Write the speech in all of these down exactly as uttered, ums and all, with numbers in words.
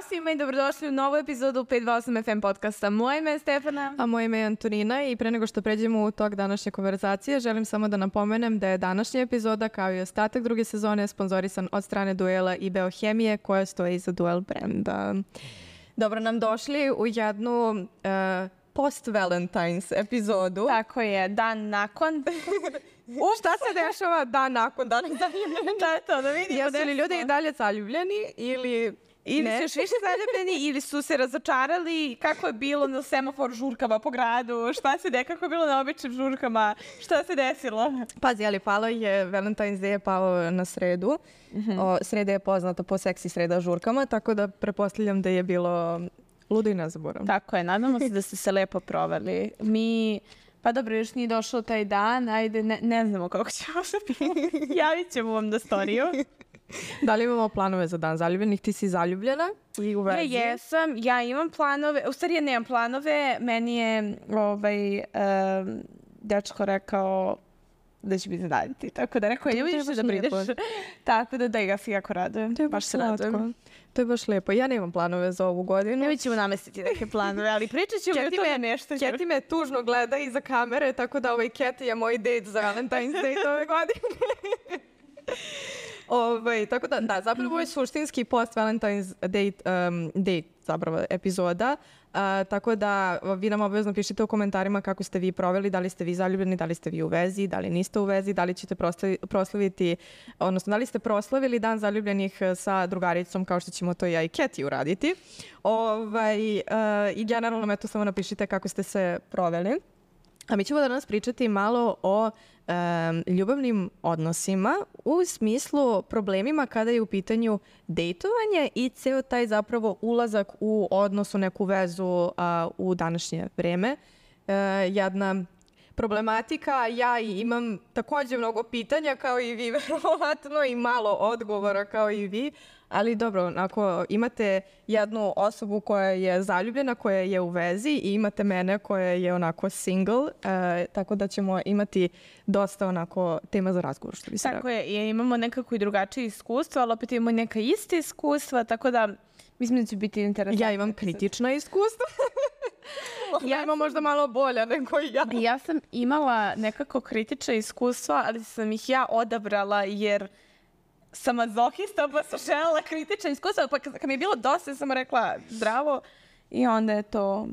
svima i dobrodošli u novu epizodu pet dva osam F M podcasta. Moje ime je Stefana. A moje ime je Antonina i pre nego što pređemo u tok današnje konverzacije, želim samo da napomenem da je današnja epizoda, kao i ostatak druge sezone, sponzorisan od strane Duela i Beohemije, koja stoji iza Duel brenda. Dobro nam došli u jednu uh, post-Valentine's epizodu. Tako je, dan nakon. U, šta se dešava dan nakon dana zaljubljeni? Da, to da vidimo. Jesu li ljudi i dalje zaljubljeni ili... Ili ne. su još više zaljubljeni ili su se razočarali, kako je bilo na semafor žurkama po gradu, šta se de, kako je bilo na običnim žurkama, šta se desilo? Pazi, ali palo je, Valentine's Day je pao na sredu. Mm-hmm. O, sreda je poznata po seksi sreda žurkama, tako da prepostavljam da je bilo ludo i nezaboravno. Tako je, nadamo se da ste se lepo proveli. Mi... Pa dobro, još nije došao taj dan, ajde, ne, ne znamo kako ćemo se javit ćemo vam na storiju. Da li imamo planove za dan zaljubljenih? Ti si zaljubljena i u vezi? Ja jesam, ja imam planove, u stvari ja nemam planove, meni je ovaj, um, dečko rekao da će mi zadaviti, tako da rekao, nemoj više da brineš. Tako da da, ja se jako radujem, to je baš se radujem. To je baš lepo. Ja nemam planove za ovu godinu. Mi ćemo namestiti neke planove, ali pričat ćemo o tome nešto. Keti me tužno gleda iza kamere, tako da ovaj Keti je moj date za Valentine's Day ove godine. Ovaj, tako da, da, zapravo je suštinski post-Valentine's date, um, date zapravo epizoda, uh, tako da vi nam obavezno pišite u komentarima kako ste vi proveli, da li ste vi zaljubljeni, da li ste vi u vezi, da li niste u vezi, da li ćete proslavi, proslaviti, odnosno da li ste proslavili dan zaljubljenih sa drugaricom kao što ćemo to ja i Keti uraditi. Ovaj, uh, I generalno me to samo napišite kako ste se proveli. A mi ćemo danas pričati malo o um, ljubavnim odnosima u smislu problemima kada je u pitanju dejtovanje i ceo taj zapravo ulazak u odnos, u neku vezu uh, u današnje vreme. Uh, jedna problematika, ja i imam također mnogo pitanja kao i vi verovatno i malo odgovora kao i vi, ali dobro, ako imate jednu osobu koja je zaljubljena, koja je u vezi i imate mene koja je onako single, e, tako da ćemo imati dosta onako tema za razgovor, što bi se Tako je, i imamo nekako i drugačije iskustva, ali opet imamo neka ista iskustva, tako da mislim da će biti interesantno. Ja imam kritična iskustva. Ja imam možda malo bolja nego ja. Ja sam imala nekako kritična iskustva, ali sam ih ja odabrala jer sam mazohista, pa sam želela kritična iskustva, pa kad mi je bilo dosta, sam rekla zdravo i onda je to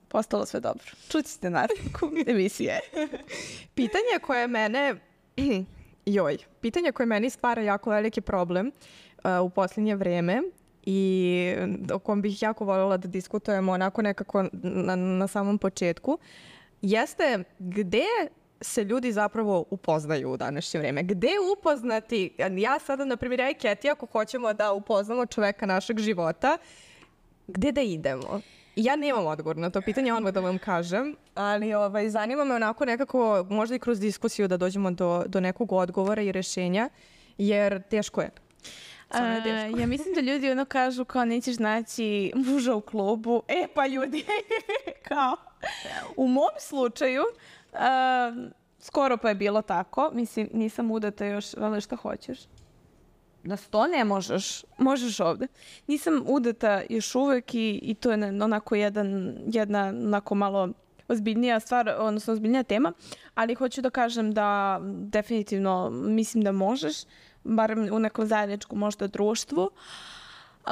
postalo sve dobro. Čućete naravku emisije. Pitanje koje mene, joj, pitanje koje meni stvara jako veliki problem uh, u posljednje vreme i o kom bih jako voljela da diskutujemo onako nekako na, na samom početku, jeste gde se ljudi zapravo upoznaju u današnje vreme. Gde upoznati? Ja sada, na primjer, ja i Keti, ako hoćemo da upoznamo čoveka našeg života, gde da idemo? Ja nemam odgovor na to pitanje, odmah da vam kažem, ali ovaj, zanima me onako nekako, možda i kroz diskusiju da dođemo do, do nekog odgovora i rešenja, jer teško je. A, ja mislim da ljudi ono kažu kao nećeš naći muža u klubu. E pa ljudi, kao u mom slučaju uh, skoro pa je bilo tako. Mislim, nisam udata još, ali šta hoćeš? Na sto ne možeš, možeš ovde. Nisam udata još uvek i, i to je onako jedan, jedna onako malo ozbiljnija stvar, odnosno ozbiljnija tema, ali hoću da kažem da definitivno mislim da možeš, barem u nekom zajedničkom možda društvu. Uh,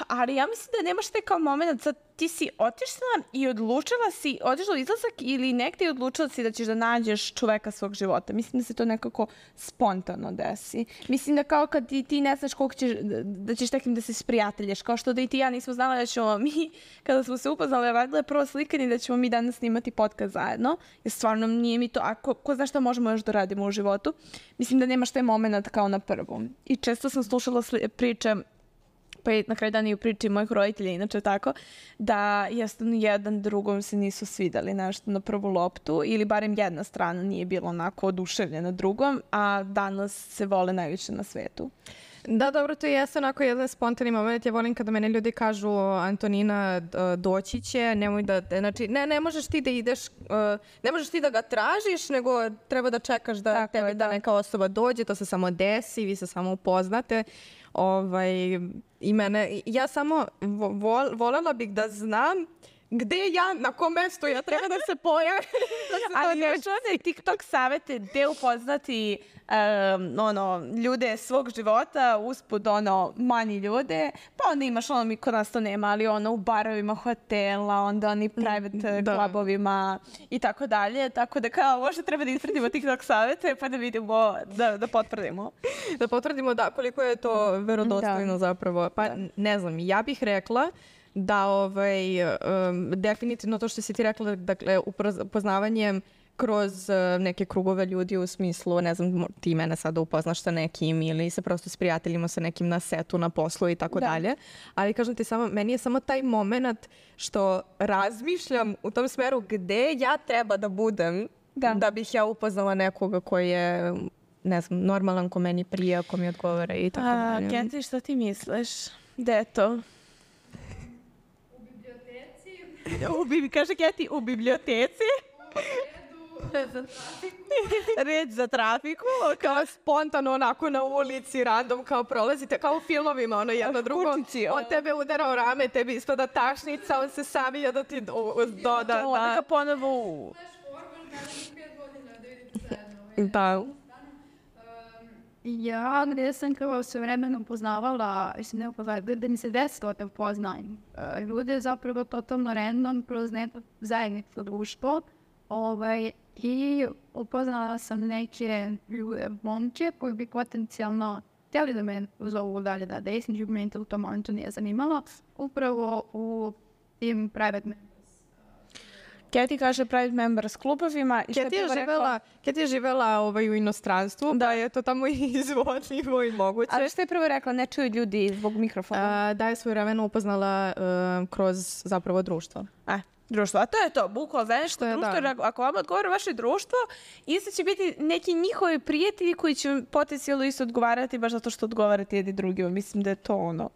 ali ja mislim da nemaš taj kao moment, sad ti si otišla i odlučila si, otišla u izlazak ili negde i odlučila si da ćeš da nađeš čoveka svog života. Mislim da se to nekako spontano desi. Mislim da kao kad ti, ti ne znaš koliko ćeš, da ćeš tekim da se sprijatelješ, kao što da i ti ja nismo znala da ćemo mi, kada smo se upoznali, radile prvo slikanje da ćemo mi danas snimati podcast zajedno, jer stvarno nije mi to, a ko, ko zna šta možemo još da radimo u životu. Mislim da nemaš taj moment kao na prvu. I često sam slušala priče, pa i na kraju dana i u priči mojih roditelja, inače tako, da jednostavno jedan drugom se nisu svidali nešto na prvu loptu ili barem jedna strana nije bila onako oduševljena drugom, a danas se vole najviše na svetu. Da, dobro, to jeste onako jedan spontani moment. Ja volim kada mene ljudi kažu Antonina doći će, nemoj da, znači ne, ne možeš ti da ideš, ne možeš ti da ga tražiš, nego treba da čekaš da tako tebe je, da neka osoba dođe, to se samo desi, vi se samo upoznate. Ovaj, i mene, ja samo vol, voljela bih da znam gde ja, na kom mestu ja treba da se pojavim. da se Ali još one TikTok savete gde upoznati um, ono, ljude svog života, usput ono, manji ljude, pa onda imaš ono, mi kod nas to nema, ali ono u barovima hotela, onda oni private da. klubovima i tako dalje, tako da kao možda treba da ispratimo TikTok savete pa da vidimo, da, da potvrdimo. Da potvrdimo da koliko je to verodostojno da. zapravo. Pa da. ne znam, ja bih rekla da ovaj, um, definitivno to što si ti rekla, dakle, upoznavanjem kroz uh, neke krugove ljudi u smislu, ne znam, ti mene sada upoznaš sa nekim ili se prosto s prijateljima sa nekim na setu, na poslu i tako dalje. Ali kažem ti samo, meni je samo taj moment što razmišljam u tom smeru gde ja treba da budem da, da bih ja upoznala nekoga koji je, ne znam, normalan, ko meni prija, ko mi odgovara i tako dalje. Kenti, što ti misliš? Gde je to? U bi, kaže Keti, u biblioteci. Red za trafiku. Red za trafiku. Kao spontano onako na ulici, random, kao prolazite, kao u filmovima, ono jedno drugo. Kučići, on tebe udara u rame, tebi ispada tašnica, on se savija da ti doda. Da, onda ga ponovo u... Da. Ja, gdje sam kao sve vremena upoznavala, mislim ne upoznavala, da mi se desilo da upoznajem uh, ljude zapravo totalno random kroz neko zajedničko društvo. Ovaj, I upoznala sam neke ljude, momče, koji bi potencijalno htjeli da me zovu dalje da desniđu, jer meni to u tom momentu nije zanimalo. Upravo u tim private members. Keti kaže private members klubovima. Keti je živela, Keti je živela ovaj, u inostranstvu, da je to tamo izvodljivo i moguće. Ali što je prvo rekla, ne čuju ljudi zbog mikrofona? A, da je svoje vremena upoznala uh, kroz zapravo društvo. E, društvo, a to je to, bukvalno zajedničko društvo, jer ako vam odgovara vaše društvo, isto će biti neki njihovi prijatelji koji će potencijalno isto odgovarati baš zato što odgovarate jedni drugima. Mislim da je to ono.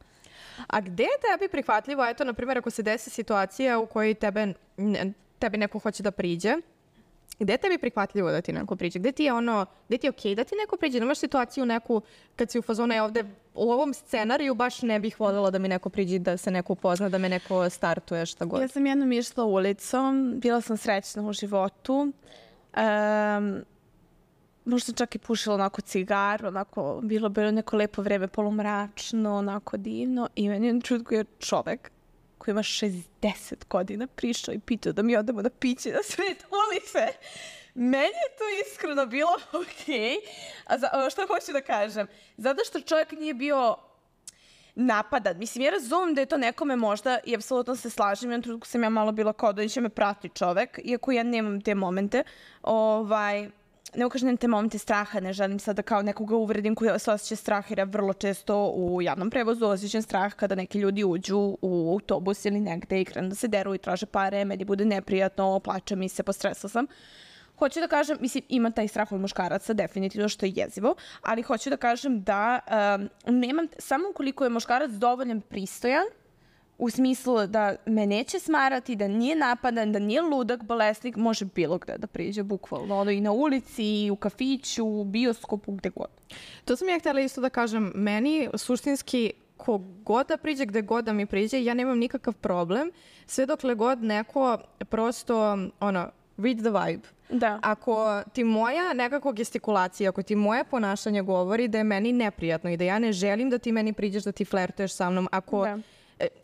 A gde je tebi prihvatljivo, eto, na primjer, ako se desi situacija u kojoj tebe... tebi neko hoće da priđe, gde je tebi prihvatljivo da ti neko priđe? Gde ti je ono, gde ti je okej okay da ti neko priđe? Nemaš situaciju neku, kad si u fazonu, ja ovde u ovom scenariju baš ne bih voljela da mi neko priđe, da se neko upozna, da me neko startuje, šta god. Ja sam jednom išla ulicom, bila sam srećna u životu. Um, možda čak i pušila onako cigar, onako, bilo bilo neko lepo vreme, polumračno, onako divno. I meni je čutko je čovek koji ima šezdeset godina prišao i pitao da mi odemo na piće na sred ulice. Meni je to iskreno bilo okej. A za, što hoću da kažem? Zato što čovjek nije bio napadan. Mislim, ja razumem da je to nekome možda i apsolutno se slažem. Jednom trenutku sam ja malo bila kao da će me prati čovjek, iako ja nemam te momente. Ovaj... Ne ukažem te momente straha, ne želim sad da kao nekoga uvredim koji se osjeća strah, jer ja vrlo često u javnom prevozu osjećam strah kada neki ljudi uđu u autobus ili negde i krenu da se deru i traže pare, meni bude neprijatno, plače mi se, postresla sam. Hoću da kažem, mislim, ima taj strah od muškaraca, definitivno, što je jezivo, ali hoću da kažem da um, nemam, samo ukoliko je muškarac dovoljan pristojan, u smislu da me neće smarati, da nije napadan, da nije ludak, bolesnik, može bilo gde da priđe, bukvalno. Ono i na ulici, i u kafiću, u bioskopu, gde god. To sam ja htjela isto da kažem. Meni suštinski ko god da priđe, gde god da mi priđe, ja nemam nikakav problem. Sve dokle god neko prosto, ono, read the vibe. Da. Ako ti moja nekako gestikulacija, ako ti moje ponašanje govori da je meni neprijatno i da ja ne želim da ti meni priđeš, da ti flertuješ sa mnom, ako... Da.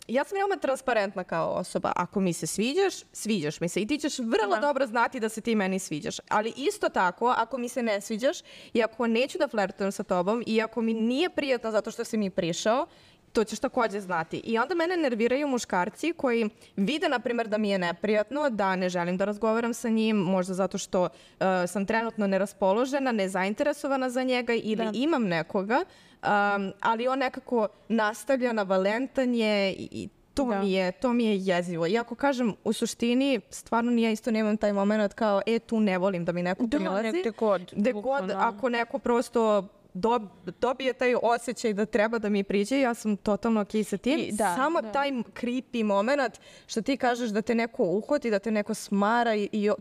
Ja sam veoma transparentna kao osoba. Ako mi se sviđaš, sviđaš mi se. I ti ćeš vrlo da. dobro znati da se ti meni sviđaš. Ali isto tako, ako mi se ne sviđaš i ako neću da flertujem sa tobom i ako mi nije prijatno zato što si mi prišao, to ćeš također znati. I onda mene nerviraju muškarci koji vide, na primjer, da mi je neprijatno, da ne želim da razgovaram sa njim, možda zato što uh, sam trenutno neraspoložena, nezainteresovana za njega ili da. imam nekoga, um, ali on nekako nastavlja na valentanje i to, mi je, to mi je jezivo. Iako kažem, u suštini, stvarno nije isto, nemam taj moment kao, e, tu ne volim da mi neko prilazi. Gde god. Gde god, ako neko prosto dobije taj osjećaj da treba da mi priđe, ja sam totalno okej sa tim. I, da, Samo da. taj creepy moment što ti kažeš da te neko uhvati, da te neko smara i, i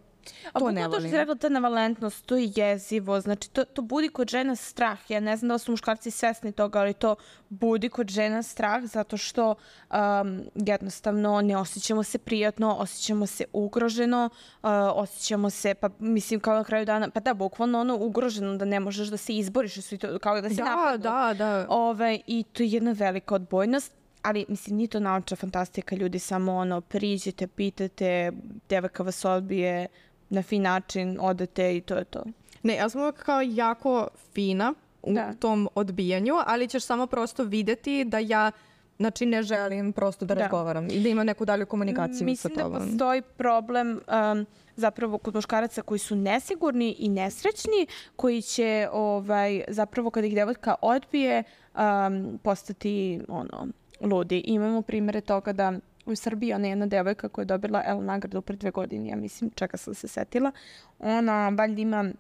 To ne volim. To što volim. si rekla, ta navalentnost, to je jezivo. Znači, to, to budi kod žena strah. Ja ne znam da li su muškarci svesni toga, ali to budi kod žena strah zato što um, jednostavno ne osjećamo se prijatno, osjećamo se ugroženo, uh, osjećamo se, pa mislim kao na kraju dana, pa da, bukvalno ono ugroženo da ne možeš da se izboriš, kao da se Da, napadnu. da, da. Ove, I to je jedna velika odbojnost. Ali, mislim, nije to naučna fantastika, ljudi samo ono, priđete, pitate, devojka vas odbije, na fin način odete i to je to. Ne, ja sam uvijek kao jako fina u Da. tom odbijanju, ali ćeš samo prosto videti da ja, znači, ne želim prosto da, Da. razgovaram i da imam neku dalju komunikaciju Mislim sa tobom. da postoji problem um, zapravo kod muškaraca koji su nesigurni i nesrećni, koji će ovaj, zapravo kada ih devojka odbije um, postati ono, ludi. Imamo primjere toga da u Srbiji ona je jedna devojka koja je dobila L nagradu pre dve godine, ja mislim, čeka sam se setila. Ona valjda ima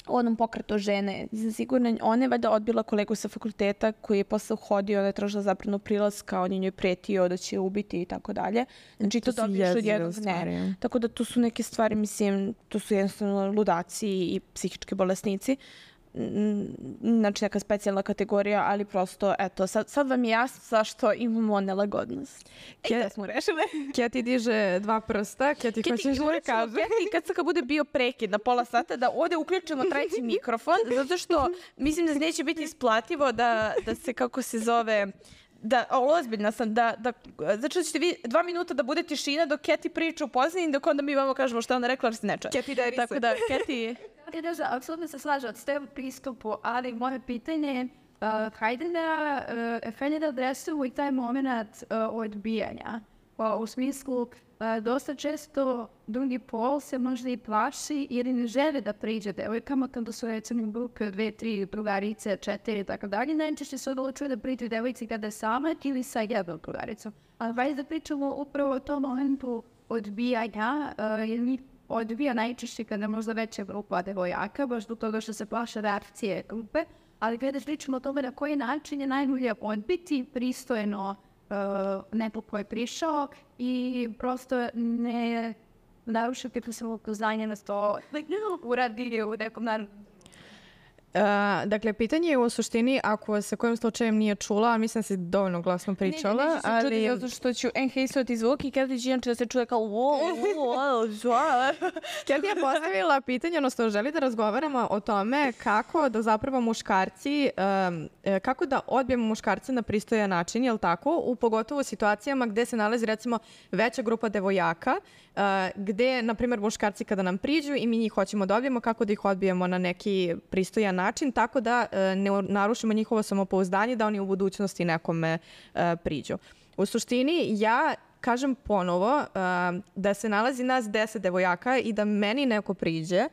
u onom pokretu žene za sigurno. Ona je valjda odbila kolegu sa fakulteta koji je posle uhodio, ona je tražila zabranu prilaska, on je njoj pretio da će je ubiti i tako dalje. Znači to, To su dobiješ od jezive jednog stvari. ne. Tako da to su neke stvari, mislim, to su jednostavno ludaci i psihički bolesnici. Mm, Znači neka specijalna kategorija, ali prosto, eto, sad, sad vam je jasno zašto imamo nelagodnost. E, da smo rešile. Keti diže dva prsta, Keti Keti, hoćeš da morat ćemo, kaže. Keti, kad sad bude bio prekid na pola sata, da ovde uključimo treći mikrofon, zato što mislim da neće biti isplativo da, da se, kako se zove, da, o, ozbiljna sam, da, da, znači da ćete vi dva minuta da bude tišina dok Keti priča u pozadini, dok onda mi vamo kažemo šta ona rekla, ali se ne čuje. Keti deri se. Tako da, Keti... Ja da, apsolutno se slažem s tem pristupu, ali moje pitanje je uh, hajde da uh, Efenje da adresujemo i taj moment uh, odbijanja. Uh, u smislu, uh, dosta često drugi pol se možda i plaši ili ne žele da priđe devojkama kada su recimo grupe dve, tri drugarice, četiri i tako dalje. Najčešće se odlučuje da priđe devojci kada je sama ili sa jednom drugaricom. Ali vajde da pričamo upravo o tom momentu odbijanja, uh, jer mi odbija najčešće kada možda veća grupa devojaka, baš do toga što se plaše reakcije grupe, ali kada pričamo o tome na koji način je najbolje odbiti pristojno uh, neko ko je prišao i prosto ne narušiti po svog upoznanja na to like, uradi u nekom naravnom. Uh, dakle, pitanje je u suštini, ako se kojim slučajem nije čula, a mislim da si dovoljno glasno pričala, ne, ne, se ali... čuti zato što ću enhejsovati zvuk i kada će inače da se čuje kao wow, wow, wow. Keti je postavila pitanje, odnosno želi da razgovaramo o tome kako da zapravo muškarci, um, kako da odbijemo muškarce na pristojan način, jel tako? U pogotovo situacijama gde se nalazi recimo veća grupa devojaka, uh, gde, na primjer, muškarci kada nam priđu i mi njih hoćemo da odbijemo, kako da ih odbijemo na neki pristojan način, tako da uh, ne narušimo njihovo samopouzdanje, da oni u budućnosti nekome uh, priđu. U suštini, ja kažem ponovo uh, da se nalazi nas deset devojaka i da meni neko priđe,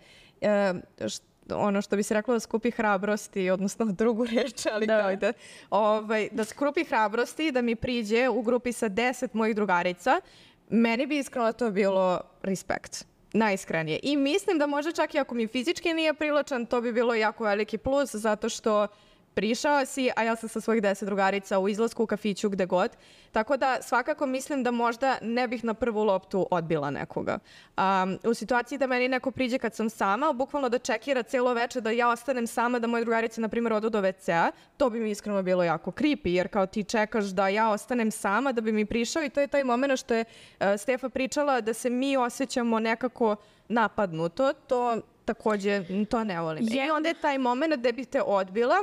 uh, št, ono što bi se reklo da skupi hrabrosti, odnosno drugu reč, ali da. kao da, ovaj, da skupi hrabrosti da mi priđe u grupi sa deset mojih drugarica, meni bi iskreno to bilo respekt. Najiskrenije. I mislim da možda čak i ako mi fizički nije privlačan, to bi bilo jako veliki plus, zato što prišao si, a ja sam sa svojih deset drugarica u izlasku, u kafiću, gde god. Tako da svakako mislim da možda ne bih na prvu loptu odbila nekoga. Um, u situaciji da meni neko priđe kad sam sama, bukvalno da čekira cijelo veče, da ja ostanem sama, da moje drugarice, na primjer, odu do ve cea, to bi mi iskreno bilo jako creepy, jer kao ti čekaš da ja ostanem sama, da bi mi prišao i to je taj moment što je uh, Stefa pričala da se mi osjećamo nekako napadnuto, to takođe, to ne volim. I onda je taj moment gde bih te odbila,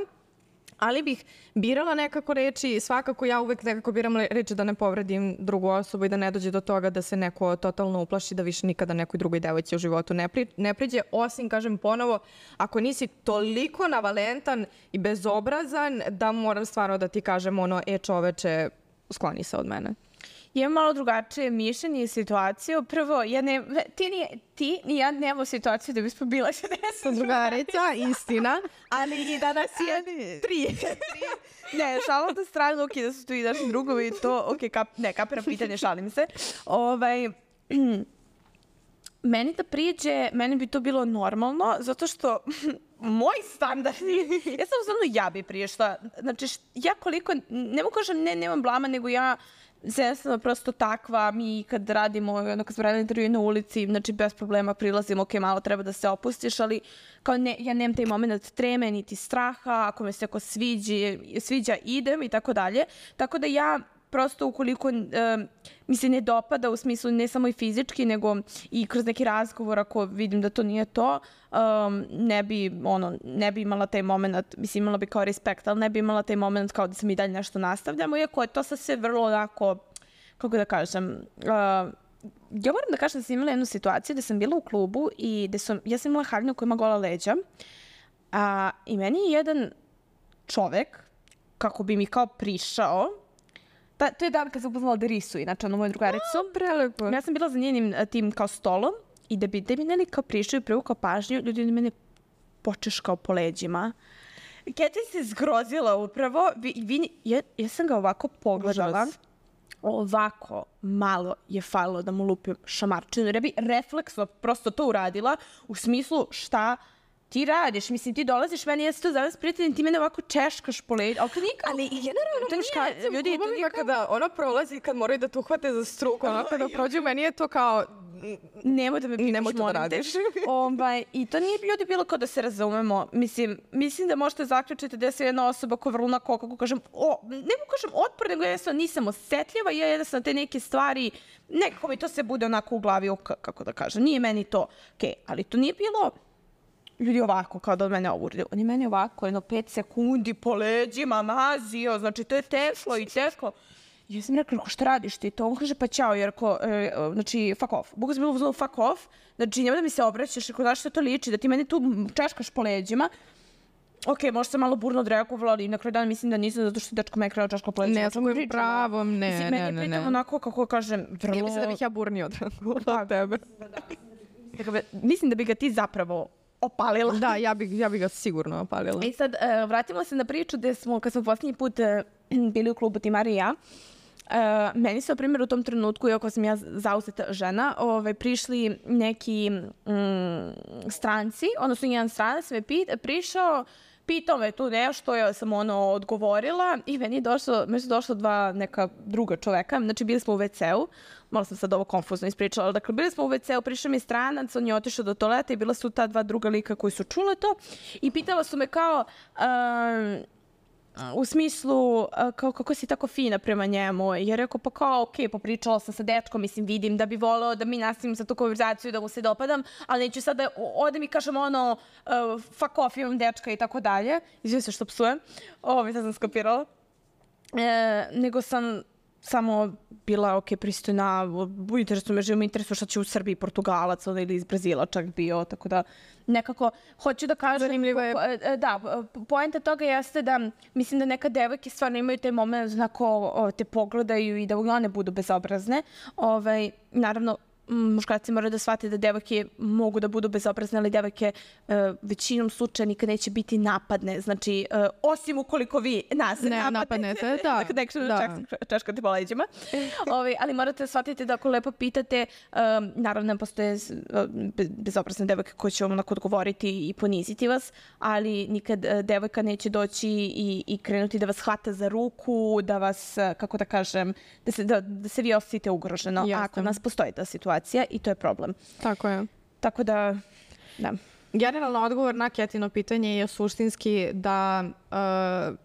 ali bih birala nekako reči, svakako ja uvek nekako biram reči da ne povredim drugu osobu i da ne dođe do toga da se neko totalno uplaši, da više nikada nekoj drugoj devojci u životu ne, pri, ne priđe, osim, kažem ponovo, ako nisi toliko navalentan i bezobrazan da moram stvarno da ti kažem ono, e čoveče, skloni se od mene. Imam malo drugačije mišljenje i situaciju. Prvo, ja ne, ti, ni, ti ni ja nemamo situaciju da bismo bila sa deset drugarica, istina, ali i da nas je tri. Ne, šalim da stranu, ok, da su tu i naši drugovi i to, ok, kap, ne, kapiram pitanje, šalim se. Ovaj, meni da priđe, meni bi to bilo normalno, zato što moj standardi, ja sam uzmano ja bi prišla. Znači, ja koliko, ne mogu kažem ne, nemam blama, nego ja jednostavno prosto takva, mi kad radimo, ono kad smo radili intervju na ulici, znači bez problema prilazimo, ok, malo treba da se opustiš, ali kao ne, ja nemam taj moment treme, niti straha, ako me se ako sviđa, sviđa idem i tako dalje. Tako da ja prosto ukoliko um, mi se ne dopada u smislu ne samo i fizički, nego i kroz neki razgovor, ako vidim da to nije to, um, ne bi, ono, ne bi imala taj moment, mislim imala bi kao respekt, ali ne bi imala taj moment kao da se mi dalje nešto nastavljamo, iako je to sad sve vrlo onako, kako da kažem, uh, ja moram da kažem da sam imala jednu situaciju da sam bila u klubu i da sam, ja sam imala haljinu koja ima gola leđa, a, i meni je jedan čovek, kako bi mi kao prišao, Ta, to je dan kad sam upoznala Derisu, inače ono moju drugaricu. A, prelepo. Ja sam bila za njenim tim kao stolom i da bi, da bi meni kao prišao i privukao pažnju, ljudi mene počeškao po leđima. Keti se zgrozila upravo. Vi, vi, ja, ja sam ga ovako pogledala. Užas. Ovako malo je falilo da mu lupim šamarčinu. Jer ja bi refleksno prosto to uradila u smislu šta ti radiš, mislim, ti dolaziš, meni jesi to zavis prijatelj, ti mene ovako češkaš po leđu. Ali, ali generalno to muškarci, ljudi, to nije kada ono prolazi, kad moraju da te uhvate za struku, ono kada prođu, meni je to kao... Nemoj da me pitaš, nemoj to da radiš. Ovaj, I to nije ljudi bilo kao da se razumemo. Mislim, mislim da možete zaključiti da je se jedna osoba koja vrlo onako, kako kažem, o, ne mogu kažem otpor, nego jednostavno nisam osetljiva i ja jednostavno te neke stvari, nekako mi to se bude onako u glavi, o, kako da kažem, nije meni to. Okay, ali to nije bilo... Ljudi ovako, kao da od mene ovurdi. On je meni ovako, jedno pet sekundi po leđima mazio, znači to je teklo i teklo. I ja sam rekla, šta radiš ti to? On kaže, pa ćao, jer ko, e, znači, fuck off. Bogu sam bilo uzelo fuck off, znači nema da mi se obraćaš, rekao, znaš što to liči, da ti meni tu češkaš po leđima. Ok, možda sam malo burno odreagovala, ali na kraju dana mislim da nisam, zato što dečko me je krenuo češka po leđima. Ne, sam je pravom, ne, mislim, ne, ne, ne. Meni je pritom onako, kako kažem, vrlo... Ja mislim da bih ja burnije odreagovala tebe. Mislim da bi ga ti zapravo opalila. Da, ja bih ja bi ga sigurno opalila. I sad, uh, vratimo se na priču gde smo, kad smo posljednji put uh, bili u klubu Timar i ja, uh, meni su, na primjer, u tom trenutku, iako sam ja zauzeta žena, ovaj, prišli neki um, stranci, odnosno jedan stranac me pit, prišao, pitao me tu nešto, ja sam ono odgovorila i meni je došlo, meni su došla dva neka druga čoveka, znači bili smo u ve ce u, malo sam sad ovo konfuzno ispričala, ali dakle bili smo u ve ce u, prišao mi stranac, on je otišao do toaleta i bila su ta dva druga lika koji su čule to i pitala su me kao, um, u smislu, kao, kako si tako fina prema njemu, jer rekao, pa kao, ok, popričala sam sa dečkom, mislim, vidim da bi voleo da mi nastavim sa tu konverzaciju, da mu se dopadam, ali neću sad da odem i kažem ono, uh, fuck off, imam dečka i tako dalje. Izvijem se što psujem, ovo sad sam skopirala. E, nego sam samo bila, ok, pristojna, u interesu me živim, interesu šta će u Srbiji Portugalac ili iz Brazila čak bio, tako da nekako hoću da kažem... Zanimljivo je. Da, poenta toga jeste da mislim da neka devojke stvarno imaju taj moment znako te pogledaju i da one budu bezobrazne. Ovaj, naravno, muškarci moraju da shvate da devojke mogu da budu bezobrazne, ali devojke uh, većinom slučaja nikad neće biti napadne. Znači, uh, osim ukoliko vi nas ne napadnete. napadnete. Da, Dakle, da. češkate po leđima. Ove, ali morate da shvatite da ako lepo pitate, um, naravno postoje bezobrazne devojke koje će vam onako odgovoriti i poniziti vas, ali nikad uh, devojka neće doći i, i krenuti da vas hvata za ruku, da vas, uh, kako da kažem, da se, da, da se vi osjetite ugroženo. Jasne. Ako nas postoji ta situacija i to je problem. Tako je. Tako da, da. Generalno odgovor na Ketino pitanje je suštinski da uh,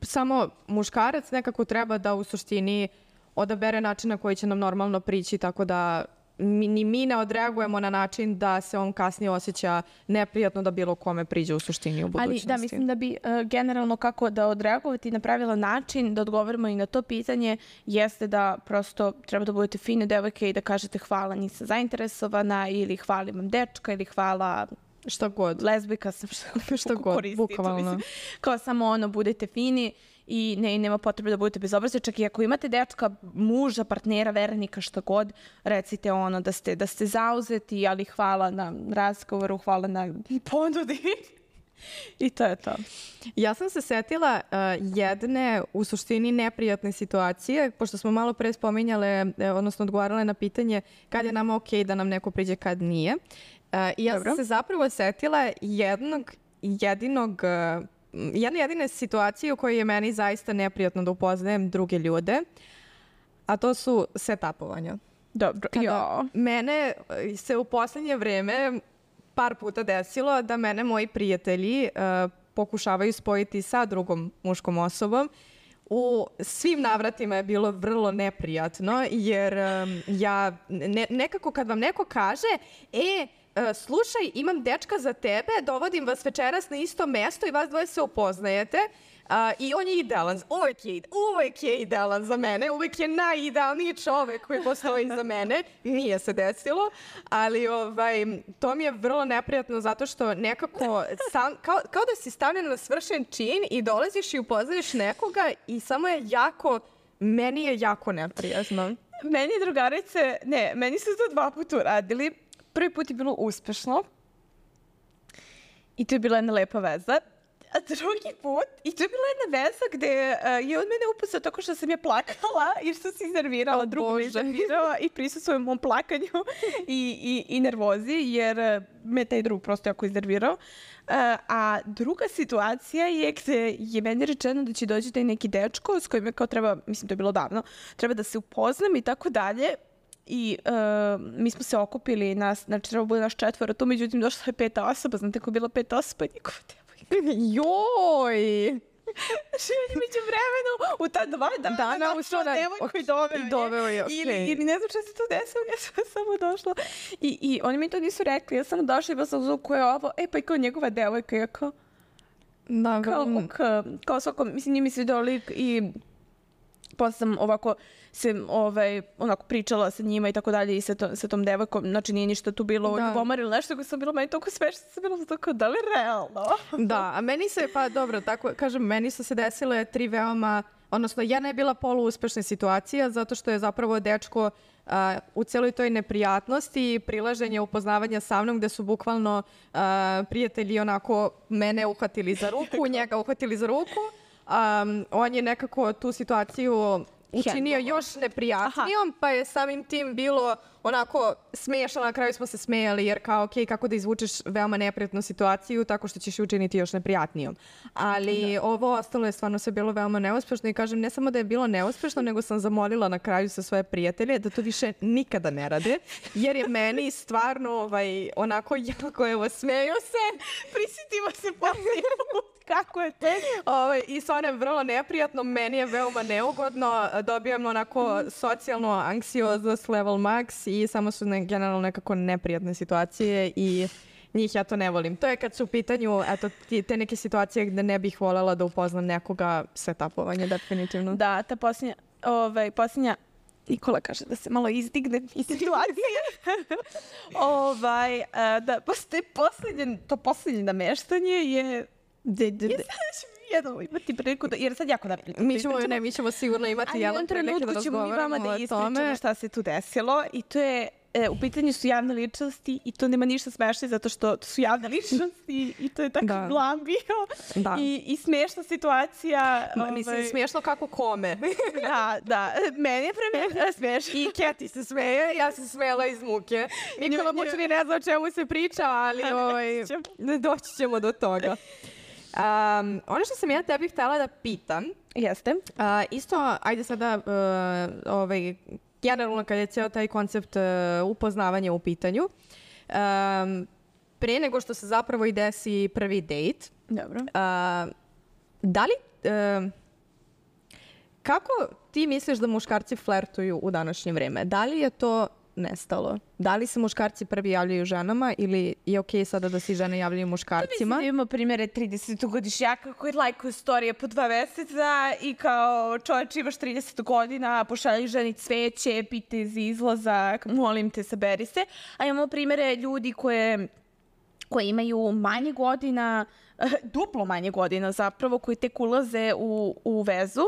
samo muškarac nekako treba da u suštini odabere način na koji će nam normalno prići, tako da mi, ni mi ne odreagujemo na način da se on kasnije osjeća neprijatno da bilo kome priđe u suštini u budućnosti. Ali da, mislim da bi uh, generalno kako da odreagovati na pravilan način, da odgovorimo i na to pitanje, jeste da prosto treba da budete fine devojke i da kažete hvala, nisam zainteresovana, ili hvala imam dečka, ili hvala... Šta god. Lezbika sam, što, šta god, bukvalno. Kao samo ono, budete fini i ne, nema potrebe da budete bezobrazni. Čak i ako imate dečka, muža, partnera, vernika, šta god, recite ono da ste, da ste zauzeti, ali hvala na razgovoru, hvala na ponudi. I to je to. Ja sam se setila uh, jedne u suštini neprijatne situacije, pošto smo malo pre spominjale, odnosno odgovarale na pitanje kad je nama okej da nam neko priđe, kad nije. Uh, I ja Dobro. sam se zapravo setila jednog, jedinog, uh, jedne jedine situacije u kojoj je meni zaista neprijatno da upoznajem druge ljude. a to su setupovanja. Dobro, Kada jo. mene se u poslednje vreme par puta desilo da mene moji prijatelji uh, pokušavaju spojiti sa drugom muškom osobom. U svim navratima je bilo vrlo neprijatno, jer um, ja ne, nekako kad vam neko kaže, e, uh, slušaj, imam dečka za tebe, dovodim vas večeras na isto mesto i vas dvoje se upoznajete, Uh, i on je idealan, uvek je, uvek je idealan za mene, uvek je najidealniji čovek koji postoji za mene, nije se desilo, ali ovaj, to mi je vrlo neprijatno zato što nekako, sam, kao, kao da si stavljen na svršen čin i dolaziš i upoznaš nekoga i samo je jako, meni je jako neprijatno. Meni drugarice, ne, meni su to dva puta uradili. Prvi put je bilo uspešno i to je bila jedna lepa veza. A drugi put, i to je bila jedna veza gde uh, je od mene upustao tako što sam je plakala jer sam se iznervirala, oh, drugo me iznervirala i prisustvujem mom plakanju i, i, i nervozi jer uh, me taj drug prosto jako iznervirao. Uh, a druga situacija je gde je meni rečeno da će doći taj neki dečko s kojim je kao treba, mislim to je bilo davno, treba da se upoznam i tako dalje. I uh, mi smo se okupili, nas, znači treba bude naš četvoro, tu međutim došla je peta osoba, znate ko je bila peta osoba, njegova devojka. Joj! Znači, među vremenu, u ta dva dana, dana došla da, devojku i doveo i doveo je. Okay. Ili, ili ne znam što se to desilo, ja sam samo došla. I, I oni mi to nisu rekli, ja sam došla i bila sam uzela ko je ovo, e pa i kao njegova devojka, ja kao, da, kao, kao, kao svako, mislim, njih mi se vidio lik i posle sam ovako se ovaj, onako pričala sa njima i tako dalje i sa, to, sa tom devojkom, znači nije ništa tu bilo ljubomar ili nešto, koji sam bila meni toliko smešna, sam bila tako, da li realno? Da, a meni se, pa dobro, tako kažem, meni su se desile tri veoma, odnosno jedna je bila poluuspešna situacija zato što je zapravo dečko uh, u celoj toj neprijatnosti i prilaženja upoznavanja sa mnom gde su bukvalno uh, prijatelji onako mene uhvatili za ruku, njega uhvatili za ruku. Um, on je nekako tu situaciju učinio još neprijatnijom, Aha. pa je samim tim bilo onako smiješno, na kraju smo se smejali jer kao ok, kako da izvučeš veoma neprijatnu situaciju tako što ćeš učiniti još neprijatnijom. Ali da. Ovo ostalo je stvarno sve bilo veoma neuspešno i kažem ne samo da je bilo neuspešno, nego sam zamolila na kraju sa svoje prijatelje da to više nikada ne rade, jer je meni stvarno ovaj, onako jako evo smeju se, prisjetimo se poslije put. Kako je te? Ovaj, I sa onem vrlo neprijatno, meni je veoma neugodno, dobijam onako socijalno anksioznost level max i samo su ne, generalno nekako neprijatne situacije i njih ja to ne volim. To je kad su u pitanju eto, ti, te neke situacije gde ne bih voljela da upoznam nekoga, setapovanje definitivno. Da, ta posljednja, ovaj, posljednja Nikola kaže da se malo izdigne iz situacije. ovaj, da, postoje posljednje, to posljednje nameštanje je De, de, de. Ja sad jedno imati priliku da, jer sad jako da pričamo. Mi ćemo, ne, mi ćemo sigurno imati jednom prilike da razgovaramo da ispričamo šta se tu desilo i to je, e, u pitanju su javne ličnosti i to nema ništa smešno zato što to su javne ličnosti i to je tako da. Blam bio da. I, i smešna situacija. Ma, ovaj... Mislim, smešno kako kome. da, da. Meni je premijer smešno. I Keti se smeje, ja se smela iz muke. Nikola Mučani ne zna o čemu se priča, ali ovaj, doći ćemo do toga. Um, ono što sam ja tebi htjela da pitam jeste uh, isto, ajde sada uh, ovaj, generalno kad je cijel taj koncept uh, upoznavanja u pitanju um, pre nego što se zapravo i desi prvi dejt dobro uh, da li uh, kako ti misliš da muškarci flertuju u današnje vreme? Da li je to nestalo? Da li se muškarci prvi javljaju ženama ili je okej okay sada da se žene javljaju muškarcima? Mislim da imamo primjere tridesetogodišnjaka koji lajkuju storije po dva meseca i kao čovječ imaš trideset godina, pošalji ženi cveće, pite za izlazak, molim te, saberi se. A imamo primjere ljudi koje, koje imaju manje godina, duplo manje godina zapravo, koji tek ulaze u, u vezu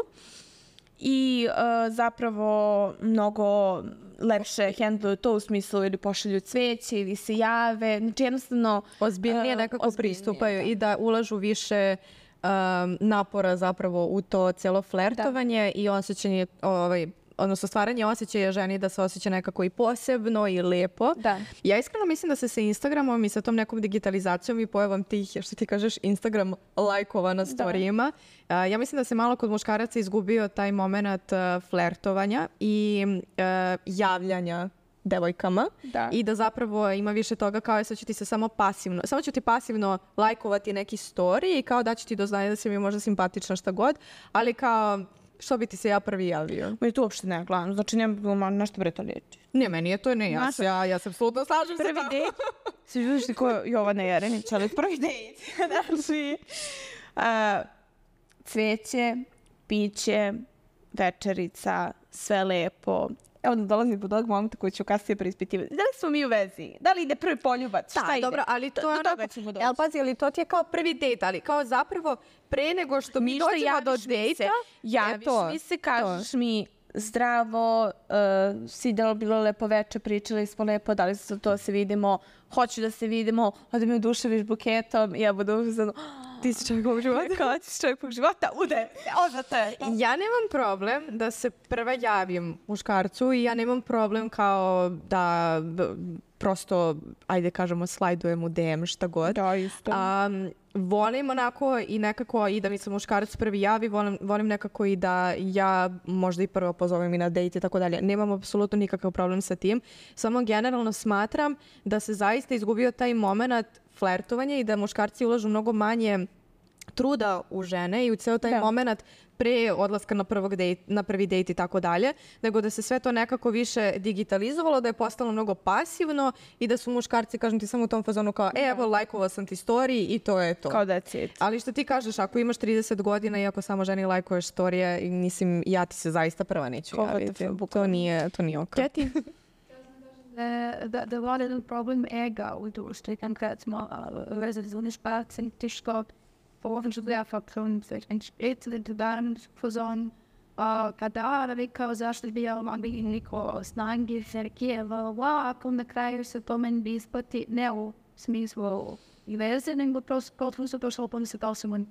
i uh, zapravo mnogo lepše handluju to u smislu ili pošalju cveće ili se jave. Znači jednostavno ozbiljnije nekako uh, pristupaju da. I da ulažu više um, napora zapravo u to cijelo flertovanje da. I osjećanje ovaj, odnosno stvaranje osjećaja ženi da se osjeća nekako i posebno i lepo. Da. Ja iskreno mislim da se sa Instagramom i sa tom nekom digitalizacijom i pojavom tih, što ti kažeš, Instagram lajkova na storijima, uh, ja mislim da se malo kod muškaraca izgubio taj moment uh, flertovanja i uh, javljanja devojkama Da. i da zapravo ima više toga kao je sad ću ti se samo pasivno, samo ću ti pasivno lajkovati neki story i kao da ću ti doznaje da si mi možda simpatična šta god, ali kao što bi ti se ja prvi javio. Meni to uopšte ne gledam, znači nema nešto bre to liječi. Ne, meni je to ne, ja, Znaš, ja, ja se apsolutno slažem sa Prvi tobom. dejt, si vidiš ti ko Jovana Jerenić, ali prvi dejt, znači, a, cvijeće, piće, večerica, sve lepo. Evo da dolazim do tog momenta koji ću kasnije preispitivati. Da li smo mi u vezi? Da li ide prvi poljubac? Da, Šta ide? dobro, ali to Do- je do onako, toga ćemo doći. jel pazi, ali to ti je kao prvi dejt, ali kao zapravo pre nego što mi Ništa, dođemo do javiš mi dejta, se, javiš mi se, kažeš mi zdravo, uh, si da li bilo lepo veče, pričali smo lepo, da li se to se vidimo, hoću da se vidimo, onda me oduševiš buketom i ja budu uzano, ti si čovjek ovog života. kao ti si čovjek ovog života, ude, oza te. Ja nemam problem da se prva javim muškarcu i ja nemam problem kao da b- prosto, ajde kažemo, slajdujem u D M šta god. Da, isto. Um, volim onako i nekako i da mi se muškarac prvi javi, volim, volim nekako i da ja možda i prvo pozovem i na dejt i tako dalje. Nemam apsolutno nikakav problem sa tim. Samo generalno smatram da se zaista izgubio taj moment flertovanja i da muškarci ulažu mnogo manje truda u žene i u ceo taj Da. moment pre odlaska na, prvog dejt, na prvi dejt i tako dalje, nego da se sve to nekako više digitalizovalo, da je postalo mnogo pasivno i da su muškarci, kažem ti, samo u tom fazonu kao, e, evo, lajkovao sam ti story i to je to. Kao that's it. Ali što ti kažeš, ako imaš trideset godina i ako samo ženi lajkuješ storije, mislim, ja ti se zaista prva neću Kao javiti. W T F, To bukvalno. nije, to nije ok. Keti? Da, da, da var det problem ega u društvu. Kan kad smo vezali za unišpacen, tiško, Forhåbentlig så derfor kun en et lidt varmt for sådan. Og kada rekao zašto bi ja mogli niko snage Sergijeva, wow, ako na kraju se to meni isplati, ne u smislu i veze, nego prosto potpuno se došlo po se to sam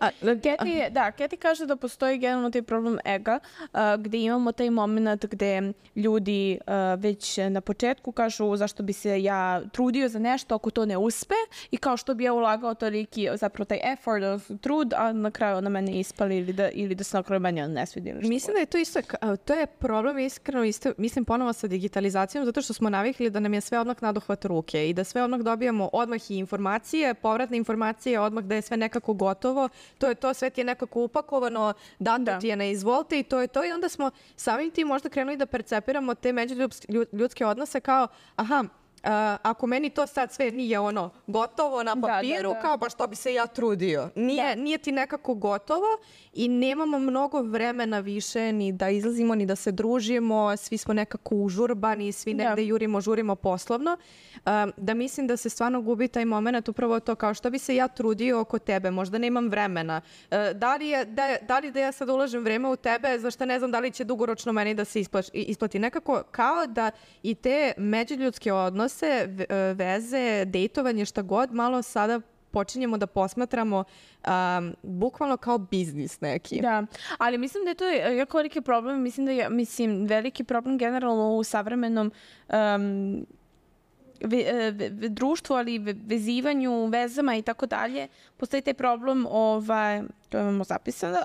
A, Keti, da, Keti kaže da postoji generalno taj problem ega, a, gde imamo taj moment gde ljudi a, već na početku kažu zašto bi se ja trudio za nešto ako to ne uspe i kao što bi ja ulagao toliki, zapravo taj effort, trud, a na kraju na mene ispali ili da, ili da se na kraju meni ne svidi. Ili što Mislim da je to isto, ka- to je problem iskreno, isto, mislim ponovo sa digitalizacijom, zato što smo navikli da nam je sve odmah nadohvat ruke i da sve odmah dobijamo odmah i informacije, povratne informacije, odmah da je sve nekako gotovo, to je to, sve ti je nekako upakovano, dato Da. ti je na izvolte i to je to i onda smo samim tim možda krenuli da percepiramo te međuljudske odnose kao, aha, Uh, ako meni to sad sve nije ono gotovo na Da, da, papiru, da. kao pa što bi se ja trudio. Nije, nije ti nekako gotovo i nemamo mnogo vremena više ni da izlazimo, ni da se družimo, svi smo nekako užurbani, svi Da. negde jurimo, žurimo poslovno. Um, da mislim da se stvarno gubi taj moment, upravo to kao što bi se ja trudio oko tebe, možda nemam vremena. Uh, da, li je, da, da li da ja sad ulažem vreme u tebe, zašto ne znam da li će dugoročno meni da se isplaš, isplati. Nekako kao da i te međuljudske odnose, v- veze, dejtovanje, šta god, malo sada počinjemo da posmatramo um, bukvalno kao biznis neki. Da, ali mislim da je to jako veliki problem, mislim da je, mislim, veliki problem generalno u savremenom um, ve, ve, ve, društvu, ali ve, vezivanju, vezama i tako dalje. Postoji taj problem, ovaj, to imamo zapisano,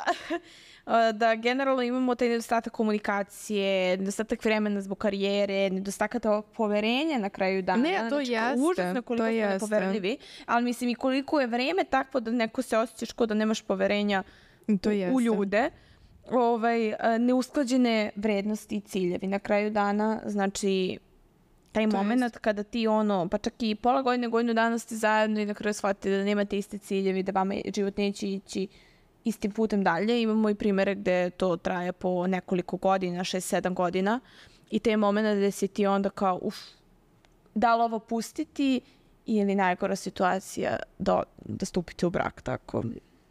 da generalno imamo taj nedostatak komunikacije, nedostatak vremena zbog karijere, nedostatak poverenja na kraju dana. Ne, to Znači, jeste, užasno koliko to smo jeste. nepoverljivi, ali mislim i koliko je vreme takvo da neko se osjećaš kao da nemaš poverenja To u jeste. ljude, ovaj, a, neusklađene vrednosti i ciljevi. Na kraju dana, znači, taj To moment jest. kada ti ono, pa čak i pola godine, godinu dana ste zajedno i na kraju shvatite da nemate iste ciljevi, da vama život neće ići istim putem dalje. Imamo i primere gde to traje po nekoliko godina, šest, sedam godina i taj moment gde si ti onda kao, uf, da li ovo pustiti ili najgora situacija da, da stupite u brak, tako.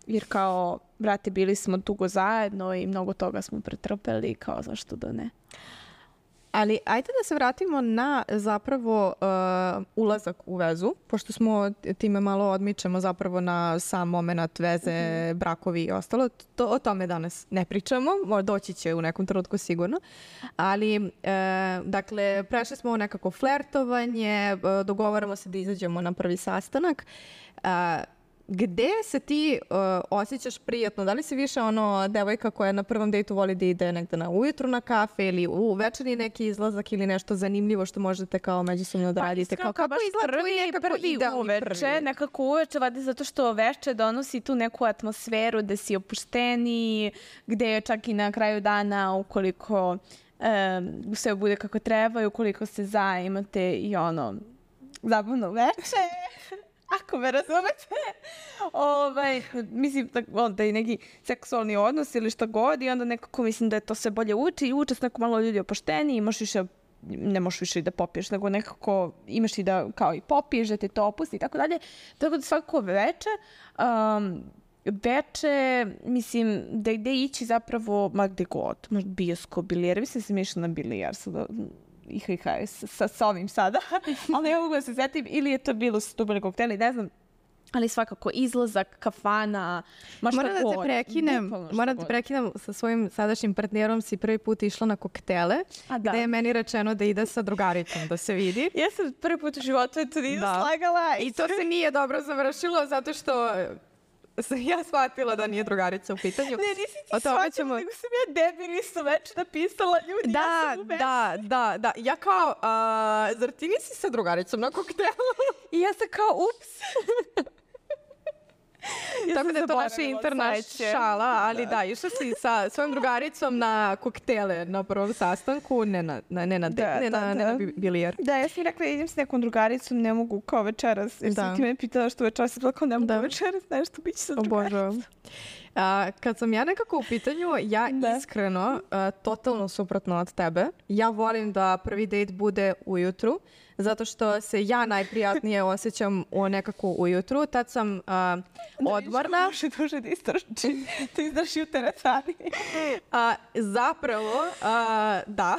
Jer kao, brate, bili smo dugo zajedno i mnogo toga smo pretrpeli, kao zašto da ne. Ali ajde da se vratimo na zapravo uh, ulazak u vezu, pošto smo time malo odmičemo zapravo na sam moment veze, mm-hmm. brakovi i ostalo. To, o tome danas ne pričamo, doći će u nekom trenutku sigurno. Ali, uh, dakle, prešli smo u nekako flertovanje, uh, dogovaramo se da izađemo na prvi sastanak. Uh, Gde se ti uh, osjećaš prijatno? Da li si više ono devojka koja na prvom dejtu voli da ide negde na ujutru na kafe ili u večerni neki izlazak ili nešto zanimljivo što možete kao međusobno da radite? Pa, kao, kako izgleda tvoj nekako prvi uveče, nekako uveče, vadi zato što veče donosi tu neku atmosferu da si opušteniji, gde je čak i na kraju dana ukoliko um, sve bude kako treba i ukoliko se zaimate i ono zabavno veče. Ako me razumete, ovaj, mislim da, da je neki seksualni odnos ili šta god i onda nekako mislim da je to sve bolje uči i uče s neko malo ljudi opušteni, imaš više, ne možeš više i da popiješ, nego nekako imaš i da kao i popiješ, da te to opusti i tako dalje. Tako da svako veče, um, veče, mislim, da gde ići zapravo, ma gde god, možda bioskop, bilijar, mislim da sam išla na bilijar sada, I H I H sa, sa ovim sada, ali ne mogu da se setim, ili je to bilo sa tubali kokteli, ne znam, ali svakako izlazak, kafana, ma šta moram da god. te prekinem, moram da te prekinem sa svojim sadašnjim partnerom, si prvi put išla na koktele, A, da. gde je meni rečeno da ide sa drugaricom, da se vidi. Ja sam prvi put u životu to nisam da. slagala. I to se nije dobro završilo, zato što sam ja shvatila da nije drugarica u pitanju. Ne, nisi ti shvatila, ćemo... nego sam ja debil isto već napisala ljudi. Da, ja sam da, da, da. Ja kao, uh, zar ti nisi sa drugaricom na koktelu? I ja sam kao, ups. Ja tako da je to naša interna šala, ali da, išla si sa svojom drugaricom na koktele na prvom sastanku, ne na, na, ne na, de, da, ne da, na, da. ne na bilijar. Da, ja sam rekla, idem s nekom drugaricom, ne mogu kao večeras, jer da. sam ti mene pitala što večeras, sam rekla, ne mogu da. večeras, nešto bit će sa drugaricom. A, kad sam ja nekako u pitanju, ja da. iskreno, a, totalno suprotno od tebe, ja volim da prvi dejt bude ujutru, zato što se ja najprijatnije osjećam u nekako ujutru. Tad sam uh, odmorna. Može duže da istrači. To izdaš jutere sami. Uh, zapravo, uh, da.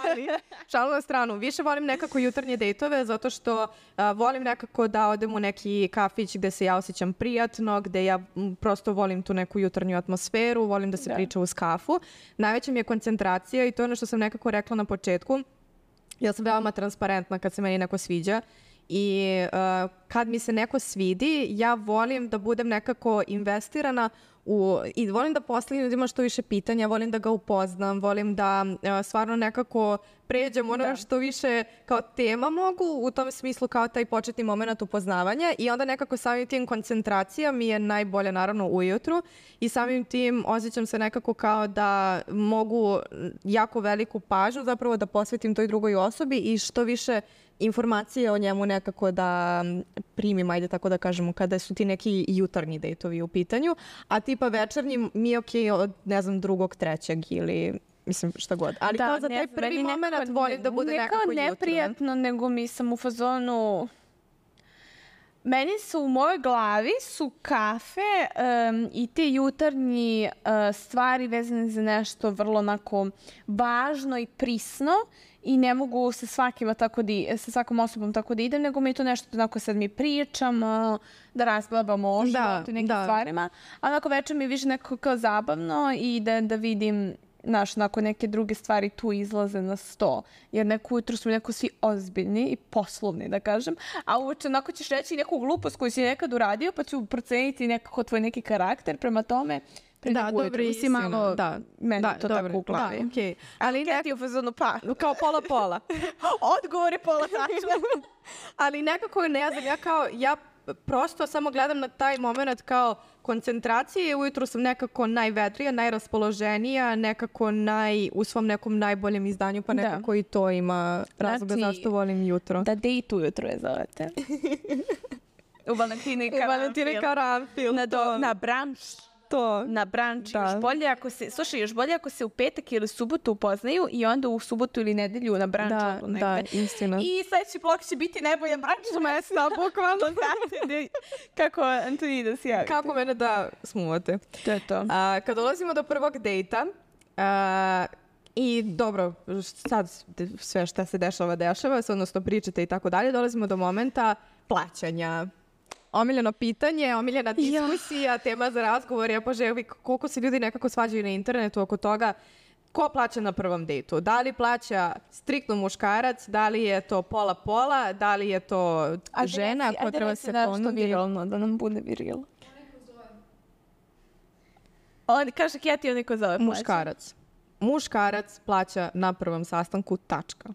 Ali, šalu na stranu. Više volim nekako jutarnje dejtove, zato što uh, volim nekako da odem u neki kafić gde se ja osjećam prijatno, gde ja m, prosto volim tu neku jutarnju atmosferu, volim da se da. priča uz kafu. Najveća mi je koncentracija i to je ono što sam nekako rekla na početku. Ja sam veoma transparentna kad se meni neko sviđa i uh, kad mi se neko svidi, ja volim da budem nekako investirana u, i volim da postavim ljudima što više pitanja, volim da ga upoznam, volim da uh, stvarno nekako pređem ono da. što više kao tema mogu, u tom smislu kao taj početni moment upoznavanja i onda nekako samim tim koncentracija mi je najbolja naravno ujutru i samim tim osjećam se nekako kao da mogu jako veliku pažnju zapravo da posvetim toj drugoj osobi i što više informacije o njemu nekako da primim, ajde tako da kažemo, kada su ti neki jutarnji dejtovi u pitanju, a tipa večernji mi je okej od, ne znam, drugog, trećeg ili mislim šta god. Ali da, kao za taj prvi moment volim da bude nekako jutro. Ne neprijatno, nego mi sam u fazonu... Meni su u mojoj glavi su kafe um, i te jutarnji uh, stvari vezane za nešto vrlo onako važno i prisno i ne mogu sa svakima tako da, sa svakom osobom tako da idem, nego mi je to nešto onako sad mi pričamo, da razglabamo o životu i nekim da. stvarima. A onako večer mi je više nekako kao zabavno i da, da vidim naš, nakon neke druge stvari tu izlaze na sto. Jer neko ujutru smo neko svi ozbiljni i poslovni, da kažem. A uveče onako ćeš reći neku glupost koju si nekad uradio, pa ću proceniti nekako tvoj neki karakter prema tome. Da, dobro, si malo, da, meni da, to dobro, tako u glavi. Da, okay. Ali nek... ti u fazonu pa. Kao pola-pola. Odgovor je pola tačno. Ali nekako ne znam, ja kao, ja prosto samo gledam na taj moment kao koncentracije. Ujutru sam nekako najvedrija, najraspoloženija, nekako naj, u svom nekom najboljem izdanju, pa nekako da. i to ima razloga znači, zašto volim jutro. Da date ujutro je zovete. U Valentini Karanfil. U Valentini Karanfil. Na, do, na branč. To. Na branč. Da. Još bolje ako se, slušaj, još bolje ako se u petak ili subotu upoznaju i onda u subotu ili nedelju na branču. Da, da, istina. I sledeći blok će biti najbolje branč mesta, bukvalno. Znate kako Antoni da se javite. Kako mene da smuvate. To je to. A, kad dolazimo do prvog dejta, a, I dobro, sad sve šta se dešava, dešava se, odnosno pričate i tako dalje, dolazimo do momenta plaćanja. Omiljeno pitanje, omiljena diskusija, ja. tema za razgovor, ja poželim koliko se ljudi nekako svađaju na internetu oko toga ko plaća na prvom dejtu. Da li plaća striktno muškarac, da li je to pola-pola, da li je to a žena ko treba se ponudi. Viralno, da nam bude viril. On kaže Keti, on neko zove plaća. Muškarac. Muškarac plaća na prvom sastanku, tačka.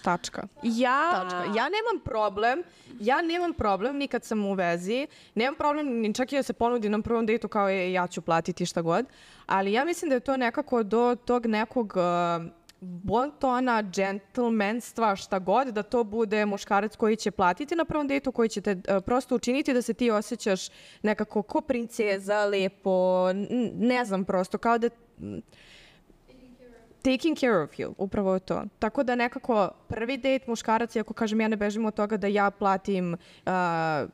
Tačka. Ja... Tačka. Ja nemam problem, ja nemam problem ni kad sam u vezi, nemam problem ni čak i da se ponudi na prvom dejtu kao je ja ću platiti šta god, ali ja mislim da je to nekako do tog nekog uh, bontona, džentlmenstva, šta god, da to bude muškarac koji će platiti na prvom dejtu, koji će te uh, prosto učiniti da se ti osjećaš nekako ko princeza, lepo, n- ne znam prosto, kao da... Taking care of you, upravo je to. Tako da nekako prvi dejt muškarac, ako kažem ja ne bežim od toga da ja platim uh,